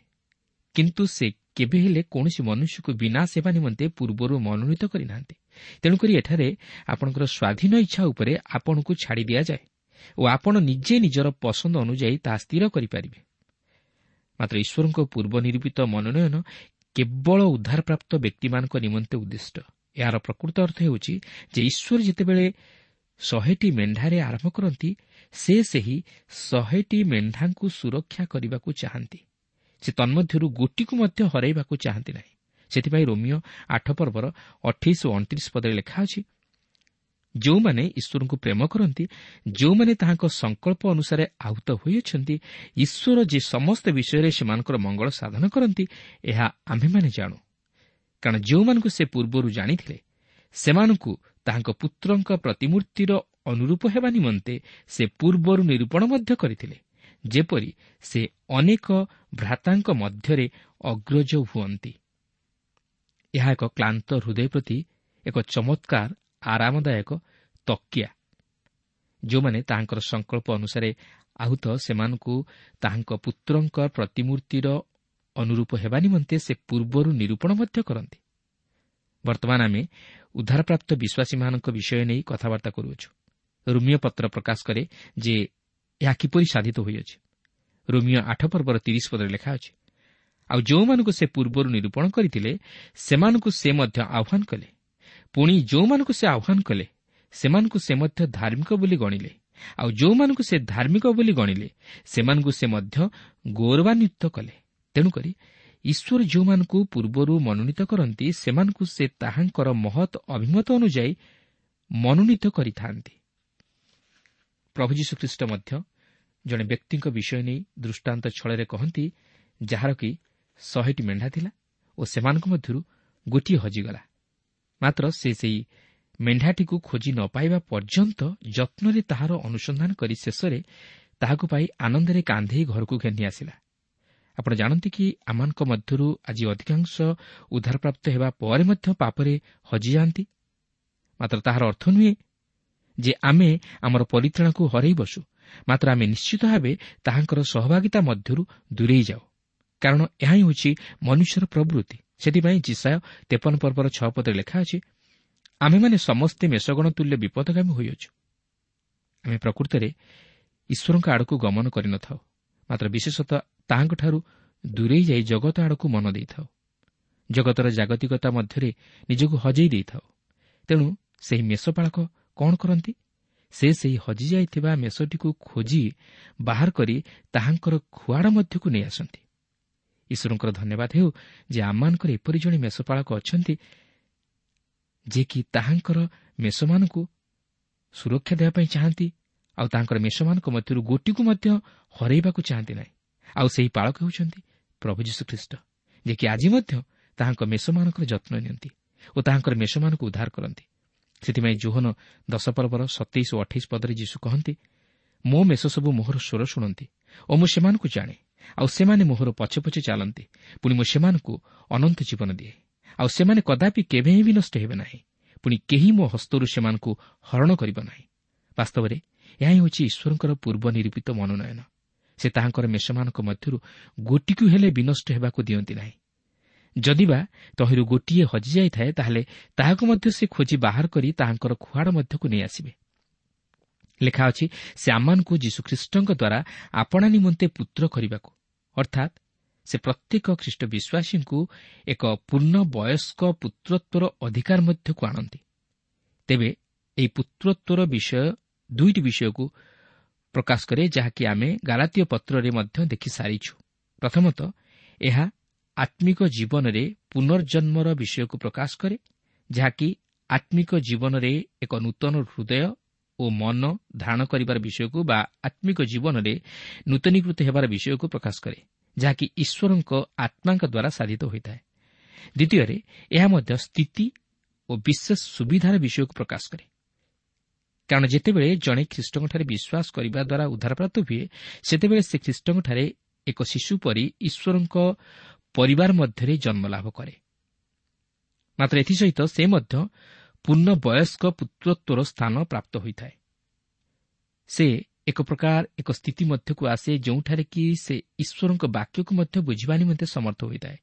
କିନ୍ତୁ ସେ କେବେ ହେଲେ କୌଣସି ମନୁଷ୍ୟକୁ ବିନାଶ ହେବା ନିମନ୍ତେ ପୂର୍ବରୁ ମନୋନୀତ କରିନାହାନ୍ତି। ତେଣୁକରି ଏଠାରେ ଆପଣଙ୍କର ସ୍ୱାଧୀନ ଇଚ୍ଛା ଉପରେ ଆପଣଙ୍କୁ ଛାଡ଼ି ଦିଆଯାଏ ଓ ଆପଣ ନିଜେ ନିଜର ପସନ୍ଦ ଅନୁଯାୟୀ ତାହା ସ୍ଥିର କରିପାରିବେ। ମାତ୍ର ଈଶ୍ୱରଙ୍କ ପୂର୍ବ ନିରୂପିତ ମନୋନୟନ କେବଳ ଉଦ୍ଧାରପ୍ରାପ୍ତ ବ୍ୟକ୍ତିମାନଙ୍କ ନିମନ୍ତେ ଉଦ୍ଦିଷ୍ଟ। ଏହାର ପ୍ରକୃତ ଅର୍ଥ ହେଉଛି ଯେ ଈଶ୍ୱର ଯେତେବେଳେ 100ଟି ମେଣ୍ଢାରେ ଆରମ୍ଭ କରନ୍ତି, ସେ ସେହି 100ଟି ମେଣ୍ଢାଙ୍କୁ ସୁରକ୍ଷା କରିବାକୁ ଚାହାନ୍ତି। ସେ ତନ୍ମଧ୍ୟରୁ ଗୋଟିକୁ ମଧ୍ୟ ହରାଇବାକୁ ଚାହାନ୍ତି ନାହିଁ। ସେଥିପାଇଁ ରୋମିଓ 8 ପର୍ବର 28 ଓ 29 ପଦରେ ଲେଖା ଅଛି, ଯେଉଁମାନେ ଈଶ୍ୱରଙ୍କୁ ପ୍ରେମ କରନ୍ତି, ଯେଉଁମାନେ ତାହାଙ୍କ ସଂକଳ୍ପ ଅନୁସାରେ ଆହୁତ ହୋଇଅଛନ୍ତି, ଈଶ୍ୱର ଯେ ସମସ୍ତ ବିଷୟରେ ସେମାନଙ୍କର ମଙ୍ଗଳ ସାଧନ କରନ୍ତି, ଏହା ଆମ୍ଭେମାନେ ଜାଣୁ। କାରଣ ଯେଉଁମାନଙ୍କୁ ସେ ପୂର୍ବରୁ ଜାଣିଥିଲେ, ସେମାନଙ୍କୁ ତାହାଙ୍କ ପୁତ୍ରଙ୍କ ପ୍ରତିମୂର୍ତ୍ତିର ଅନୁରୂପ ହେବା ନିମନ୍ତେ ସେ ପୂର୍ବରୁ ନିରୂପଣ ମଧ୍ୟ କରିଥିଲେ, ଯେପରି ସେ ଅନେକ ଭ୍ରାତାଙ୍କ ମଧ୍ୟରେ ଅଗ୍ରଜ ହୁଅନ୍ତି। ଏହା ଏକ କ୍ଳାନ୍ତ ହୃଦୟ ପ୍ରତି ଏକ ଚମତ୍କାର ଆରାମଦାୟକ ତକିଆ। ଯେଉଁମାନେ ତାହାଙ୍କର ସଂକଳ୍ପ ଅନୁସାରେ ଆହୁତ, ସେମାନଙ୍କୁ ତାହାଙ୍କ ପୁତ୍ରଙ୍କ ପ୍ରତିମୂର୍ତ୍ତିର ଅନୁରୂପ ହେବା ନିମନ୍ତେ ସେ ପୂର୍ବରୁ ନିରୂପଣ ମଧ୍ୟ କରନ୍ତି। ବର୍ତ୍ତମାନ ଆମେ ଉଦ୍ଧାରପ୍ରାପ୍ତ ବିଶ୍ୱାସୀମାନଙ୍କ ବିଷୟ ନେଇ କଥାବାର୍ତ୍ତା କରୁଅଛୁ। ରୋମୀୟ ପତ୍ର ପ୍ରକାଶ କରେ ଯେ ଏହା କିପରି ସାଧିତ ହୋଇଅଛି। ରୋମୀୟ 8 ପର୍ବର 30 ପଦରେ ଲେଖା ଅଛି, ଆଉ ଯେଉଁମାନଙ୍କୁ ସେ ପୂର୍ବରୁ ନିରୂପଣ କରିଥିଲେ, ସେମାନଙ୍କୁ ସେ ମଧ୍ୟ ଆହ୍ୱାନ କଲେ। ପୁଣି ଯେଉଁମାନଙ୍କୁ ସେ ଆହ୍ୱାନ କଲେ, ସେମାନଙ୍କୁ ସେ ମଧ୍ୟ ଧାର୍ମିକ ବୋଲି ଗଣିଲେ। ଆଉ ଯେଉଁମାନଙ୍କୁ ସେ ଧାର୍ମିକ ବୋଲି ଗଣିଲେ, ସେମାନଙ୍କୁ ସେ ମଧ୍ୟ ଗୌରବାନ୍ୱିତ କଲେ। ତେଣୁକରି ଈଶ୍ୱର ଯେଉଁମାନଙ୍କୁ ପୂର୍ବରୁ ମନୋନୀତ କରନ୍ତି, ସେମାନଙ୍କୁ ସେ ତାହାଙ୍କର ମହତ୍ ଅଭିମତ ଅନୁଯାୟୀ ମନୋନୀତ କରିଥାନ୍ତି। ପ୍ରଭୁ ଯୀଶୁଖ୍ରୀଷ୍ଟ ମଧ୍ୟ ଜଣେ ବ୍ୟକ୍ତିଙ୍କ ବିଷୟ ନେଇ ଦୃଷ୍ଟାନ୍ତ ଛଳରେ କହନ୍ତି, ଯାହାର କି 100ଟି ମେଣ୍ଢା ଥିଲା ଓ ସେମାନଙ୍କ ମଧ୍ୟରୁ ଗୋଟିଏ ହଜିଗଲା। ମାତ୍ର ସେ ସେହି ମେଣ୍ଢାଟିକୁ ଖୋଜି ନ ପାଇବା ପର୍ଯ୍ୟନ୍ତ ଯତ୍ନରେ ତାହାର ଅନୁସନ୍ଧାନ କରି ଶେଷରେ ତାହାକୁ ପାଇ ଆନନ୍ଦରେ କାନ୍ଧେଇ ଘରକୁ ଘେନି ଆସିଲା। ଆପଣ ଜାଣନ୍ତି କି ଆମମାନଙ୍କ ମଧ୍ୟରୁ ଆଜି ଅଧିକାଂଶ ଉଦ୍ଧାରପ୍ରାପ୍ତ ହେବା ପରେ ମଧ୍ୟ ପାପରେ ହଜିଯାଆନ୍ତି। ମାତ୍ର ତାହାର ଅର୍ଥ ନୁହେଁ ଯେ ଆମେ ଆମର ପରିତ୍ରାଣକୁ ହରାଇ ବସୁ, ମାତ୍ର ଆମେ ନିଶ୍ଚିତ ଭାବେ ତାହାଙ୍କର ସହଭାଗିତା ମଧ୍ୟରୁ ଦୂରେଇ ଯାଉ, କାରଣ ଏହା ହିଁ ହେଉଛି ମନୁଷ୍ୟର ପ୍ରବୃତ୍ତି। ସେଥିପାଇଁ ଯିଶାଇୟ 53 ପର୍ବର 6 ପଦରେ ଲେଖା ଅଛି, ଆମେମାନେ ସମସ୍ତେ ମେଷଗଣ ତୁଲ୍ୟ ବିପଦଗାମୀ ହୋଇଅଛୁ। ଆମେ ପ୍ରକୃତରେ ଈଶ୍ୱରଙ୍କ ଆଡ଼କୁ ଗମନ କରିନଥାଉ, ମାତ୍ର ବିଶେଷତଃ ତାହାଙ୍କଠାରୁ ଦୂରେଇ ଯାଇ ଜଗତ ଆଡ଼କୁ ମନ ଦେଇଥାଉ। ଜଗତର ଜାଗତିକତା ମଧ୍ୟରେ ନିଜକୁ ହଜେଇ ଦେଇଥାଉ। ତେଣୁ ସେହି ମେଷପାଳକ କ'ଣ କରନ୍ତି? ସେ ସେହି ହଜିଯାଇଥିବା ମେଷଟିକୁ ଖୋଜି ବାହାର କରି ତାହାଙ୍କର ଖୁଆଡ଼ ମଧ୍ୟକୁ ନେଇ ଆସନ୍ତି। ଈଶ୍ୱରଙ୍କର ଧନ୍ୟବାଦ ହେଉ ଯେ ଆମମାନଙ୍କର ଏପରି ଜଣେ ମେଷପାଳକ ଅଛନ୍ତି, ଯିଏକି ତାହାଙ୍କର ମେଷମାନଙ୍କୁ ସୁରକ୍ଷା ଦେବା ପାଇଁ ଚାହାନ୍ତି, ଆଉ ତାଙ୍କର ମେଷମାନଙ୍କ ମଧ୍ୟରୁ ଗୋଟିକୁ ମଧ୍ୟ ହରାଇବାକୁ ଚାହାନ୍ତି ନାହିଁ। ଆଉ ସେହି ପାଳକ ହେଉଛନ୍ତି ପ୍ରଭୁ ଯୀଶୁଖ୍ରୀଷ୍ଟ, ଯିଏକି ଆଜି ମଧ୍ୟ ତାହାଙ୍କ ମେଷମାନଙ୍କର ଯତ୍ନ ନିଅନ୍ତି ଓ ତାହାଙ୍କର ମେଷମାନଙ୍କୁ ଉଦ୍ଧାର କରନ୍ତି। ସେଥିପାଇଁ ଯୋହନ 10 ପର୍ବର 27 ଓ 28 ପଦରେ ଯୀଶୁ କହନ୍ତି, ମୋ ମେଷ ସବୁ ମୋହର ସ୍ୱର ଶୁଣନ୍ତି ଓ ମୁଁ ସେମାନଙ୍କୁ ଜାଣେ, ଆଉ ସେମାନେ ମୋହର ପଛେ ପଛେ ଚାଲନ୍ତି। ପୁଣି ମୁଁ ସେମାନଙ୍କୁ ଅନନ୍ତ ଜୀବନ ଦିଏ, ଆଉ ସେମାନେ କଦାପି କେବେ ହିଁ ବିନଷ୍ଟ ହେବେ ନାହିଁ, ପୁଣି କେହି ମୋ ହସ୍ତରୁ ସେମାନଙ୍କୁ ହରଣ କରିବ ନାହିଁ। ବାସ୍ତବରେ ଏହା ହେଉଛି ଈଶ୍ୱରଙ୍କର ପୂର୍ବ ନିରୂପିତ ମନୋନୟନ। ସେ ତାହାଙ୍କର ମେଷମାନଙ୍କ ମଧ୍ୟରୁ ଗୋଟିକୁ ହେଲେ ବିନଷ୍ଟ ହେବାକୁ ଦିଅନ୍ତି ନାହିଁ। ଯଦିବା ତହିଁରୁ ଗୋଟିଏ ହଜିଯାଇଥାଏ, ତାହେଲେ ତାହାକୁ ମଧ୍ୟ ସେ ଖୋଜି ବାହାର କରି ତାହାଙ୍କର ଖୁଆଡ଼ ମଧ୍ୟକୁ ନେଇ ଆସିବେ। ଲେଖା ଅଛି, ସେ ଆମମାନଙ୍କୁ ଯୀଶୁଖ୍ରୀଷ୍ଟଙ୍କ ଦ୍ୱାରା ଆପଣା ନିମନ୍ତେ ପୁତ୍ର କରିବାକୁ, ଅର୍ଥାତ୍ ସେ ପ୍ରତ୍ୟେକ ଖ୍ରୀଷ୍ଟ ବିଶ୍ୱାସୀଙ୍କୁ ଏକ ପୂର୍ଣ୍ଣ ବୟସ୍କ ପୁତ୍ରତ୍ୱର ଅଧିକାର ମଧ୍ୟକୁ ଆଣନ୍ତି। ତେବେ ଏହି ପୁତ୍ରତ୍ୱର ବିଷୟ ଦୁଇଟି ବିଷୟକୁ ପ୍ରକାଶ କରେ, ଯାହାକି ଆମେ ଗାଲାତୀୟ ପତ୍ରରେ ମଧ୍ୟ ଦେଖିସାରିଛୁ। ପ୍ରଥମତଃ ଏହା ଆତ୍ମିକ ଜୀବନରେ ପୁନର୍ଜନ୍ମର ବିଷୟକୁ ପ୍ରକାଶ କରେ, ଯାହାକି ଆତ୍ମିକ ଜୀବନରେ ଏକ ନୂତନ ହୃଦୟ ଓ ମନ ଧାରଣ କରିବାର ବିଷୟକୁ ବା ଆତ୍ମିକ ଜୀବନରେ ନୂତନୀକୃତ ହେବାର ବିଷୟକୁ ପ୍ରକାଶ କରେ, ଯାହାକି ଈଶ୍ୱରଙ୍କ ଆତ୍ମାଙ୍କ ଦ୍ୱାରା ସାଧିତ ହୋଇଥାଏ। ଦ୍ୱିତୀୟରେ ଏହା ମଧ୍ୟ ସ୍ଥିତି ଓ ବିଶେଷ ସୁବିଧାର ବିଷୟକୁ ପ୍ରକାଶ କରେ, କାରଣ ଯେତେବେଳେ ଜଣେ ଖ୍ରୀଷ୍ଟଙ୍କଠାରେ ବିଶ୍ୱାସ କରିବା ଦ୍ୱାରା ଉଦ୍ଧାରପ୍ରାପ୍ତ ହୁଏ, ସେତେବେଳେ ସେ ଖ୍ରୀଷ୍ଟଙ୍କଠାରେ ଏକ ଶିଶୁ ପରି ଈଶ୍ୱରଙ୍କ ପରିବାର ମଧ୍ୟରେ ଜନ୍ମଲାଭ କରେ। ମାତ୍ର ଏଥିସହିତ ସେ ମଧ୍ୟ ପୂର୍ଣ୍ଣ ବୟସ୍କ ପୁତ୍ରତ୍ୱର ସ୍ଥାନ ପ୍ରାପ୍ତ ହୋଇଥାଏ। ସେ ଏକ ପ୍ରକାର ଏକ ସ୍ଥିତି ମଧ୍ୟକୁ ଆସେ, ଯେଉଁଠାରେ କି ସେ ଈଶ୍ୱରଙ୍କ ବାକ୍ୟକୁ ମଧ୍ୟ ବୁଝିବା ନିମନ୍ତେ ସମର୍ଥ ହୋଇଥାଏ,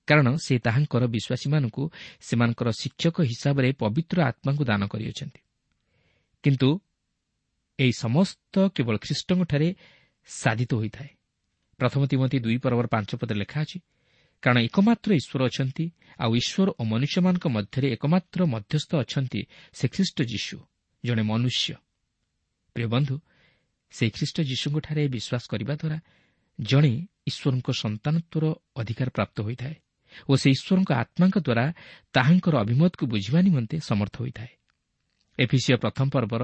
କାରଣ ସେ ତାହାଙ୍କର ବିଶ୍ୱାସୀମାନଙ୍କୁ ସେମାନଙ୍କର ଶିକ୍ଷକ ହିସାବରେ ପବିତ୍ର ଆତ୍ମାଙ୍କୁ ଦାନ କରିଅଛନ୍ତି। କିନ୍ତୁ ଏହି ସମସ୍ତ କେବଳ ଖ୍ରୀଷ୍ଟଙ୍କଠାରେ ସାଧିତ ହୋଇଥାଏ। ପ୍ରଥମ ତିମୋଥି 2 ପର୍ବର 5 ପଦରେ ଲେଖା ଅଛି, କାରଣ ଏକମାତ୍ର ଈଶ୍ୱର ଅଛନ୍ତି, ଆଉ ଈଶ୍ୱର ଓ ମନୁଷ୍ୟମାନଙ୍କ ମଧ୍ୟରେ ଏକମାତ୍ର ମଧ୍ୟସ୍ଥ ଅଛନ୍ତି, ସେ ଖ୍ରୀଷ୍ଟ ଯୀଶୁ, ଜଣେ ମନୁଷ୍ୟ। ପ୍ରିୟ ବନ୍ଧୁ, ସେହି ଖ୍ରୀଷ୍ଟ ଯୀଶୁଙ୍କଠାରେ ବିଶ୍ୱାସ କରିବା ଦ୍ୱାରା ଜଣେ ଈଶ୍ୱରଙ୍କ ସନ୍ତାନତ୍ୱର ଅଧିକାର ପ୍ରାପ୍ତ ହୋଇଥାଏ ଓ ସେ ଈଶ୍ୱରଙ୍କ ଆତ୍ମାଙ୍କ ଦ୍ୱାରା ତାହାଙ୍କର ଅଭିମତକୁ ବୁଝିବା ନିମନ୍ତେ ସମର୍ଥ ହୋଇଥାଏ। ଏଫିସୀୟ 1 ପର୍ବର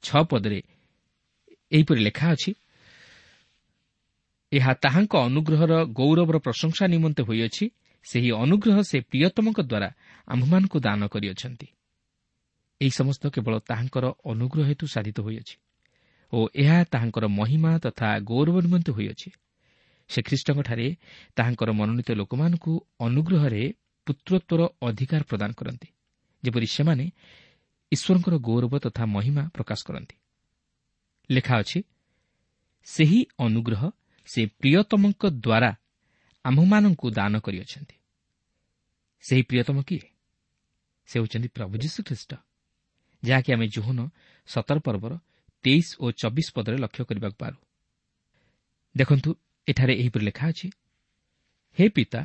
6 ପଦରେ ଏହିପରି ଲେଖା ଅଛି, ଏହା ତାହାଙ୍କ ଅନୁଗ୍ରହର ଗୌରବର ପ୍ରଶଂସା ନିମନ୍ତେ ହୋଇଅଛି, ସେହି ଅନୁଗ୍ରହ ସେ ପ୍ରିୟତମଙ୍କ ଦ୍ୱାରା ଆମ୍ଭମାନଙ୍କୁ ଦାନ କରିଅଛନ୍ତି। ଏହି ସମସ୍ତ କେବଳ ତାହାଙ୍କର ଅନୁଗ୍ରହ ହେତୁ ସାଧିତ ହୋଇଅଛି ଓ ଏହା ତାହାଙ୍କର ମହିମା ତଥା ଗୌରବ ନିମନ୍ତେ ହୋଇଅଛି। ସେ ଖ୍ରୀଷ୍ଟଙ୍କଠାରେ ତାହାଙ୍କର ମନୋନୀତ ଲୋକମାନଙ୍କୁ ଅନୁଗ୍ରହରେ ପୁତ୍ରତ୍ୱର ଅଧିକାର ପ୍ରଦାନ କରନ୍ତି, ଯେପରି ସେମାନେ ଈଶ୍ୱରଙ୍କର ଗୌରବ ତଥା ମହିମା ପ୍ରକାଶ କରନ୍ତି। ଲେଖା ଅଛି, ସେହି ଅନୁଗ୍ରହ ସେ ପ୍ରିୟତମଙ୍କ ଦ୍ୱାରା ଆମ୍ଭମାନଙ୍କୁ ଦାନ କରିଅଛନ୍ତି। ସେହି ପ୍ରିୟତମ କିଏ? ସେ ହେଉଛନ୍ତି ପ୍ରଭୁ ଯୀଶୁଖ୍ରୀଷ୍ଟ, ଯାହାକି ଆମେ ଯୋହନ 17 ପର୍ବର 23 ଓ 24 ପଦରେ ଲକ୍ଷ୍ୟ କରିବାକୁ ପାରୁ। ଦେଖନ୍ତୁ, ଏଠାରେ ଏହିପରି ଲେଖା ଅଛି, ହେ ପିତା,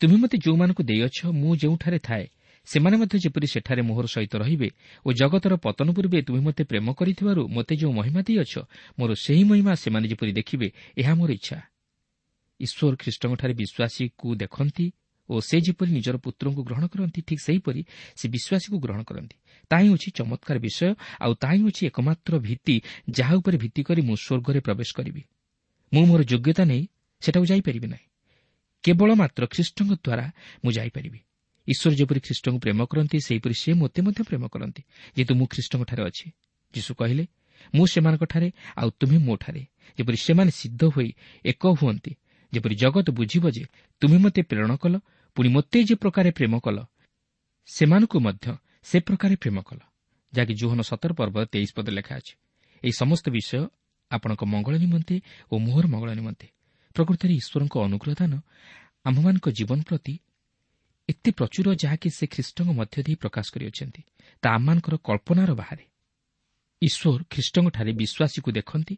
ତୁମେ ମୋତେ ଯେଉଁମାନଙ୍କୁ ଦେଇଅଛ, ମୁଁ ଯେଉଁଠାରେ ଥାଏ ସେମାନେ ମଧ୍ୟ ଯେପରି ସେଠାରେ ମୋହର ସହିତ ରହିବେ ଓ ଜଗତର ପତନ ପୂର୍ବେ ତୁମେ ମୋତେ ପ୍ରେମ କରିଥିବାରୁ ମୋତେ ଯେଉଁ ମହିମା ଦେଇଅଛ, ମୋର ସେହି ମହିମା ସେମାନେ ଯେପରି ଦେଖିବେ, ଏହା ମୋର ଇଚ୍ଛା। ଈଶ୍ୱର ଖ୍ରୀଷ୍ଟଙ୍କଠାରେ ବିଶ୍ୱାସୀକୁ ଦେଖନ୍ତି ଓ ସେ ଯେପରି ନିଜର ପୁତ୍ରଙ୍କୁ ଗ୍ରହଣ କରନ୍ତି, ଠିକ୍ ସେହିପରି ସେ ବିଶ୍ୱାସୀକୁ ଗ୍ରହଣ କରନ୍ତି। ତାହା ହେଉଛି ଚମତ୍କାର ବିଷୟ, ଆଉ ତାହା ହେଉଛି ଏକମାତ୍ର ଭିତ୍ତି ଯାହା ଉପରେ ଭିତ୍ତି କରି ମୁଁ ସ୍ୱର୍ଗରେ ପ୍ରବେଶ କରିବି। ମୁଁ ମୋର ଯୋଗ୍ୟତା ନେଇ ସେଠାକୁ ଯାଇପାରିବି ନାହିଁ, କେବଳ ମାତ୍ର ଖ୍ରୀଷ୍ଟଙ୍କ ଦ୍ୱାରା ମୁଁ ଯାଇପାରିବି। ଈଶ୍ୱର ଯେପରି ଖ୍ରୀଷ୍ଟଙ୍କୁ ପ୍ରେମ କରନ୍ତି, ସେହିପରି ସେ ମୋତେ ମଧ୍ୟ ପ୍ରେମ କରନ୍ତି, ଯେହେତୁ ମୁଁ ଖ୍ରୀଷ୍ଟଙ୍କଠାରେ ଅଛି। ଯୀଶୁ କହିଲେ, ମୁଁ ସେମାନଙ୍କଠାରେ ଆଉ ତୁମେ ମୋଠାରେ, ଯେପରି ସେମାନେ ସିଦ୍ଧ ହୋଇ ଏକ ହୁଅନ୍ତି, ଯେପରି ଜଗତ ବୁଝିବ ଯେ ତୁମେ ମୋତେ ପ୍ରେରଣ କଲ, ପୁଣି ମୋତେ ଯେ ପ୍ରକାରେ ପ୍ରେମ କଲ, ସେମାନଙ୍କୁ ମଧ୍ୟ ସେ ପ୍ରକାରେ ପ୍ରେମ କଲ, ଯାହାକି ଯୋହନ 17 ପର୍ବ 23 ପଦ ଲେଖା ଅଛି। ଏହି ସମସ୍ତ ବିଷୟ ଆପଣଙ୍କ ମଙ୍ଗଳ ନିମନ୍ତେ ଓ ମୋହର ମଙ୍ଗଳ ନିମନ୍ତେ। ପ୍ରକୃତରେ ଈଶ୍ୱରଙ୍କ ଅନୁଗ୍ରହ ଦାନ ଆମ୍ଭମାନଙ୍କ ଜୀବନ ପ୍ରତି ଏତେ ପ୍ରଚୁର, ଯାହାକି ସେ ଖ୍ରୀଷ୍ଟଙ୍କ ମଧ୍ୟ ଦେଇ ପ୍ରକାଶ କରିଅଛନ୍ତି, ତା ଆମମାନଙ୍କର କଳ୍ପନାର ବାହାରେ। ଈଶ୍ୱର ଖ୍ରୀଷ୍ଟଙ୍କଠାରେ ବିଶ୍ୱାସୀକୁ ଦେଖନ୍ତି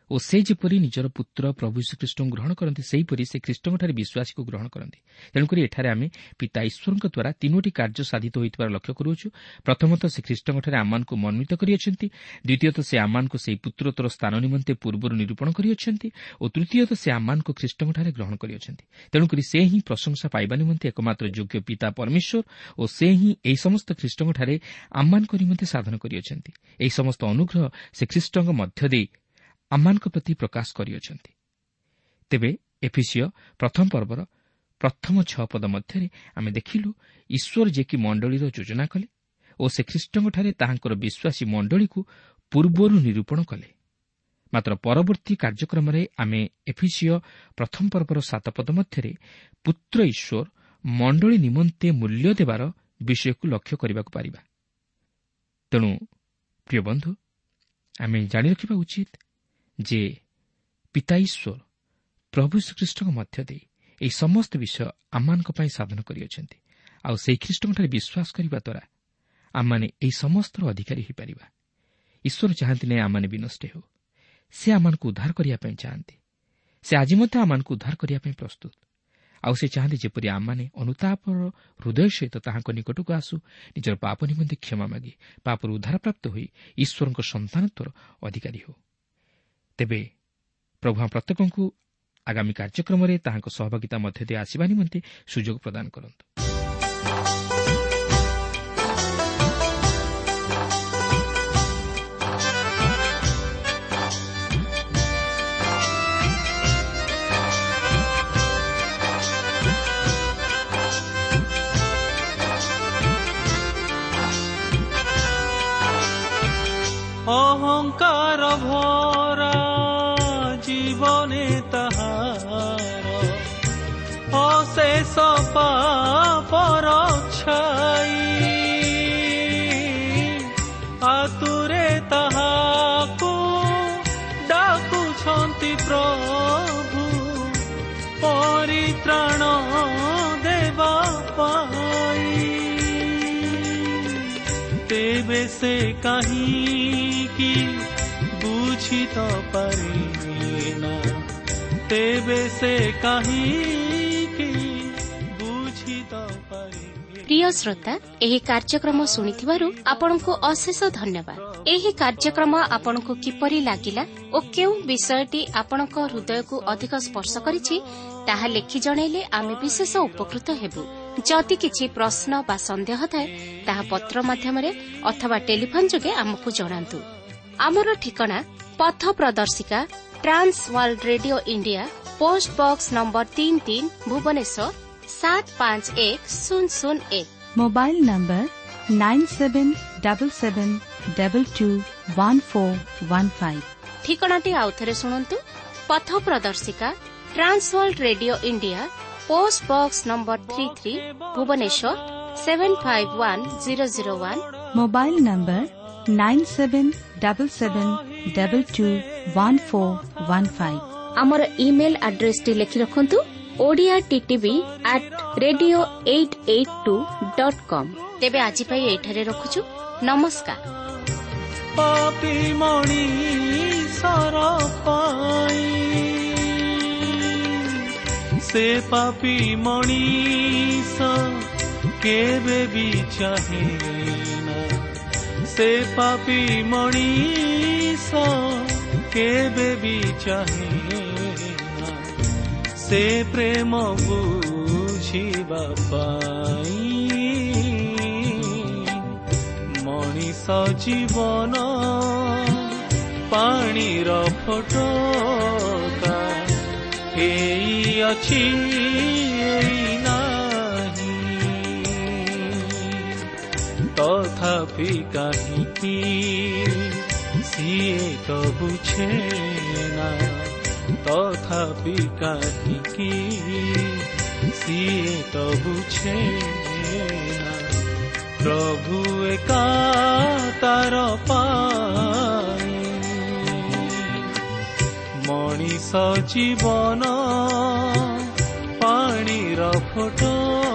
ଓ ସେ ଯେପରି ନିଜର ପୁତ୍ର ପ୍ରଭୁ ଯୀଶୁଖ୍ରୀଷ୍ଟଙ୍କୁ ଗ୍ରହଣ କରନ୍ତି, ସେହିପରି ସେ ଖ୍ରୀଷ୍ଟଙ୍କଠାରେ ବିଶ୍ୱାସୀକୁ ଗ୍ରହଣ କରନ୍ତି। ତେଣୁକରି ଏଠାରେ ଆମେ ପିତା ଈଶ୍ୱରଙ୍କ ଦ୍ୱାରା ତିନୋଟି କାର୍ଯ୍ୟ ସାଧିତ ହୋଇଥିବାର ଲକ୍ଷ୍ୟ କରୁଅଛୁ। ପ୍ରଥମତଃ ସେ ଖ୍ରୀଷ୍ଟଙ୍କଠାରେ ଆମମାନଙ୍କୁ ମନୋନୀତ କରିଅଛନ୍ତି, ଦ୍ୱିତୀୟତଃ ସେ ଆମମାନଙ୍କୁ ସେହି ପୁତ୍ରତ୍ୱର ସ୍ଥାନ ନିମନ୍ତେ ପୂର୍ବରୁ ନିରୂପଣ କରିଅଛନ୍ତି ଓ ତୃତୀୟତଃ ସେ ଆମମାନଙ୍କୁ ଖ୍ରୀଷ୍ଟଙ୍କଠାରେ ଗ୍ରହଣ କରିଅଛନ୍ତି। ତେଣୁକରି ସେ ହିଁ ପ୍ରଶଂସା ପାଇବା ନିମନ୍ତେ ଏକମାତ୍ର ଯୋଗ୍ୟ ପିତା ପରମେଶ୍ୱର ଓ ସେ ହିଁ ଏହି ସମସ୍ତ ଖ୍ରୀଷ୍ଟଙ୍କଠାରେ ଆମମାନଙ୍କ ନିମନ୍ତେ ସାଧନ କରିଅଛନ୍ତି। ଏହି ସମସ୍ତ ଅନୁଗ୍ରହ ସେ ଖ୍ରୀଷ୍ଟଙ୍କ ମଧ୍ୟ ଦେଇ ଆମମାନଙ୍କ ପ୍ରତି ପ୍ରକାଶ କରିଅଛନ୍ତି। ତେବେ ଏଫିସିୟ ପ୍ରଥମ ପର୍ବର ପ୍ରଥମ 6 ପଦ ମଧ୍ୟରେ ଆମେ ଦେଖିଲୁ ଈଶ୍ୱର ଯିଏକି ମଣ୍ଡଳୀର ଯୋଜନା କଲେ ଓ ସେ ଖ୍ରୀଷ୍ଟଙ୍କଠାରେ ତାହାଙ୍କର ବିଶ୍ୱାସୀ ମଣ୍ଡଳୀକୁ ପୂର୍ବରୁ ନିରୂପଣ କଲେ। ମାତ୍ର ପରବର୍ତ୍ତୀ କାର୍ଯ୍ୟକ୍ରମରେ ଆମେ ଏଫିସିୟ ପ୍ରଥମ ପର୍ବର 7 ପଦ ମଧ୍ୟରେ ପୁତ୍ର ଈଶ୍ୱର ମଣ୍ଡଳୀ ନିମନ୍ତେ ମୂଲ୍ୟ ଦେବାର ବିଷୟକୁ ଲକ୍ଷ୍ୟ କରିବାକୁ ପାରିବା। ତେଣୁ ପ୍ରିୟ ବନ୍ଧୁ, ଆମେ ଜାଣି ରଖିବା ଉଚିତ ଯେ ପିତା ଈଶ୍ୱର ପ୍ରଭୁ ଶ୍ରୀଖ୍ରୀଷ୍ଟଙ୍କ ମଧ୍ୟ ଦେଇ ଏହି ସମସ୍ତ ବିଷୟ ଆମମାନଙ୍କ ପାଇଁ ସାଧନ କରିଅଛନ୍ତି। ଆଉ ସେହି ଖ୍ରୀଷ୍ଟଙ୍କଠାରେ ବିଶ୍ୱାସ କରିବା ଦ୍ୱାରା ଆମମାନେ ଏହି ସମସ୍ତର ଅଧିକାରୀ ହୋଇପାରିବା। ଈଶ୍ୱର ଚାହାନ୍ତି ନାହିଁ ଆମମାନେ ବିନଷ୍ଟ ହେଉ। ସେ ଆମମାନଙ୍କୁ ଉଦ୍ଧାର କରିବା ପାଇଁ ଚାହାନ୍ତି। ସେ ଆଜି ମଧ୍ୟ ଆମମାନଙ୍କୁ ଉଦ୍ଧାର କରିବା ପାଇଁ ପ୍ରସ୍ତୁତ। ଆଉ ସେ ଚାହାନ୍ତି ଯେପରି ଆମମାନେ ଅନୁତାପର ହୃଦୟ ସହିତ ତାହାଙ୍କ ନିକଟକୁ ଆସୁ, ନିଜର ପାପ ନିମନ୍ତେ କ୍ଷମା ମାଗି ପାପରୁ ଉଦ୍ଧାରପ୍ରାପ୍ତ ହୋଇ ଈଶ୍ୱରଙ୍କ ସନ୍ତାନତ୍ୱର ଅଧିକାରୀ ହେଉ। ତେବେ ପ୍ରଭୁ ଆମ ପ୍ରତ୍ୟେକଙ୍କୁ ଆଗାମୀ କାର୍ଯ୍ୟକ୍ରମରେ ତାହାଙ୍କ ସହଭାଗିତା ମଧ୍ୟ ଦେଇ ଆସିବା ନିମନ୍ତେ ସୁଯୋଗ ପ୍ରଦାନ କରନ୍ତୁ। ଅହଙ୍କାର ଭରା ଜୀବନେ ତାହାର ଅଶେଷ ପାପର ଛାଇ, ଆତୁରେ ତାହାକୁ ଡାକୁଛନ୍ତି ପ୍ରଭୁ ପରିତ୍ରାଣ ଦେବା ପାଇଁ। ତେବେ ସେ କାହିଁକି ବୁଝି ତ ପାରେ ନା, ତେବେ ସେ କାହିଁକି ବୁଝି ତ ପାରେ। ପ୍ରିୟ ଶ୍ରୋତା, ଏହି କାର୍ଯ୍ୟକ୍ରମ ଶୁଣିଥିବାରୁ ଆପଣଙ୍କୁ ଅଶେଷ ଧନ୍ୟବାଦ। ଏହି କାର୍ଯ୍ୟକ୍ରମ ଆପଣଙ୍କୁ କିପରି ଲାଗିଲା ଓ କେଉଁ ବିଷୟଟି ଆପଣଙ୍କ ହୃଦୟକୁ ଅଧିକ ସ୍ପର୍ଶ କରିଛି ତାହା ଲେଖି ଜଣାଇଲେ ଆମେ ବିଶେଷ ଉପକୃତ ହେବୁ। ଯଦି କିଛି ପ୍ରଶ୍ନ ବା ସନ୍ଦେହ ଥାଏ ତାହା ପତ୍ର ମାଧ୍ୟମରେ ଅଥବା ଟେଲିଫୋନ୍ ଯୋଗେ ଆମକୁ ଜଣାନ୍ତୁ। ଆମର ଠିକଣା ପଥ ପ୍ରଦର୍ଶିକା, Trans World Radio India, post box number 33, Bhubaneswar 751001। Mobile number 9777221415। ଠିକଣାଟି ଆଉଥରେ ଶୁଣନ୍ତୁ। ପଥ ପ୍ରଦର୍ଶିକା, Trans World Radio India, post box number 33, Bhubaneswar 751001। Mobile number 9777221415। ଆମର ଇମେଲ୍ ଆଡ୍ରେସଟି ଲେଖି ରଖନ୍ତୁ: Odia TTV at radio 882.com। ତେବେ ଆଜି ପାଇଁ ଏଇଠାରେ ରଖୁଛୁ। ନମସ୍କାର। ପାପୀ ମଣିଷର ପାଇଁ, ସେ ପାପୀ ମଣିଷ କେବେ ବି ଚାହେଁ ନା, ସେ ପାପୀ ମଣିଷ କେବେ ବି ଚାହେଁ ନା, ସେ ପ୍ରେମ ବୁଝିବା ପାଇଁ ମଣିଷ ଜୀବନ ପାଣିର ଫୋଟକା ଏଇ ଅଛି ଏଇ ନାହିଁ। ତଥାପି କାହିଁକି ସିଏ ତ ବୁଝେ ନା, ତଥାପି କାହିଁକି ସିଏ ତ ବୁଝେ ନା, ପ୍ରଭୁ ଏକା ତାର ପାଇଁ ମଣିଷ ଜୀବନ ପାଣିର ଫୋଟକା।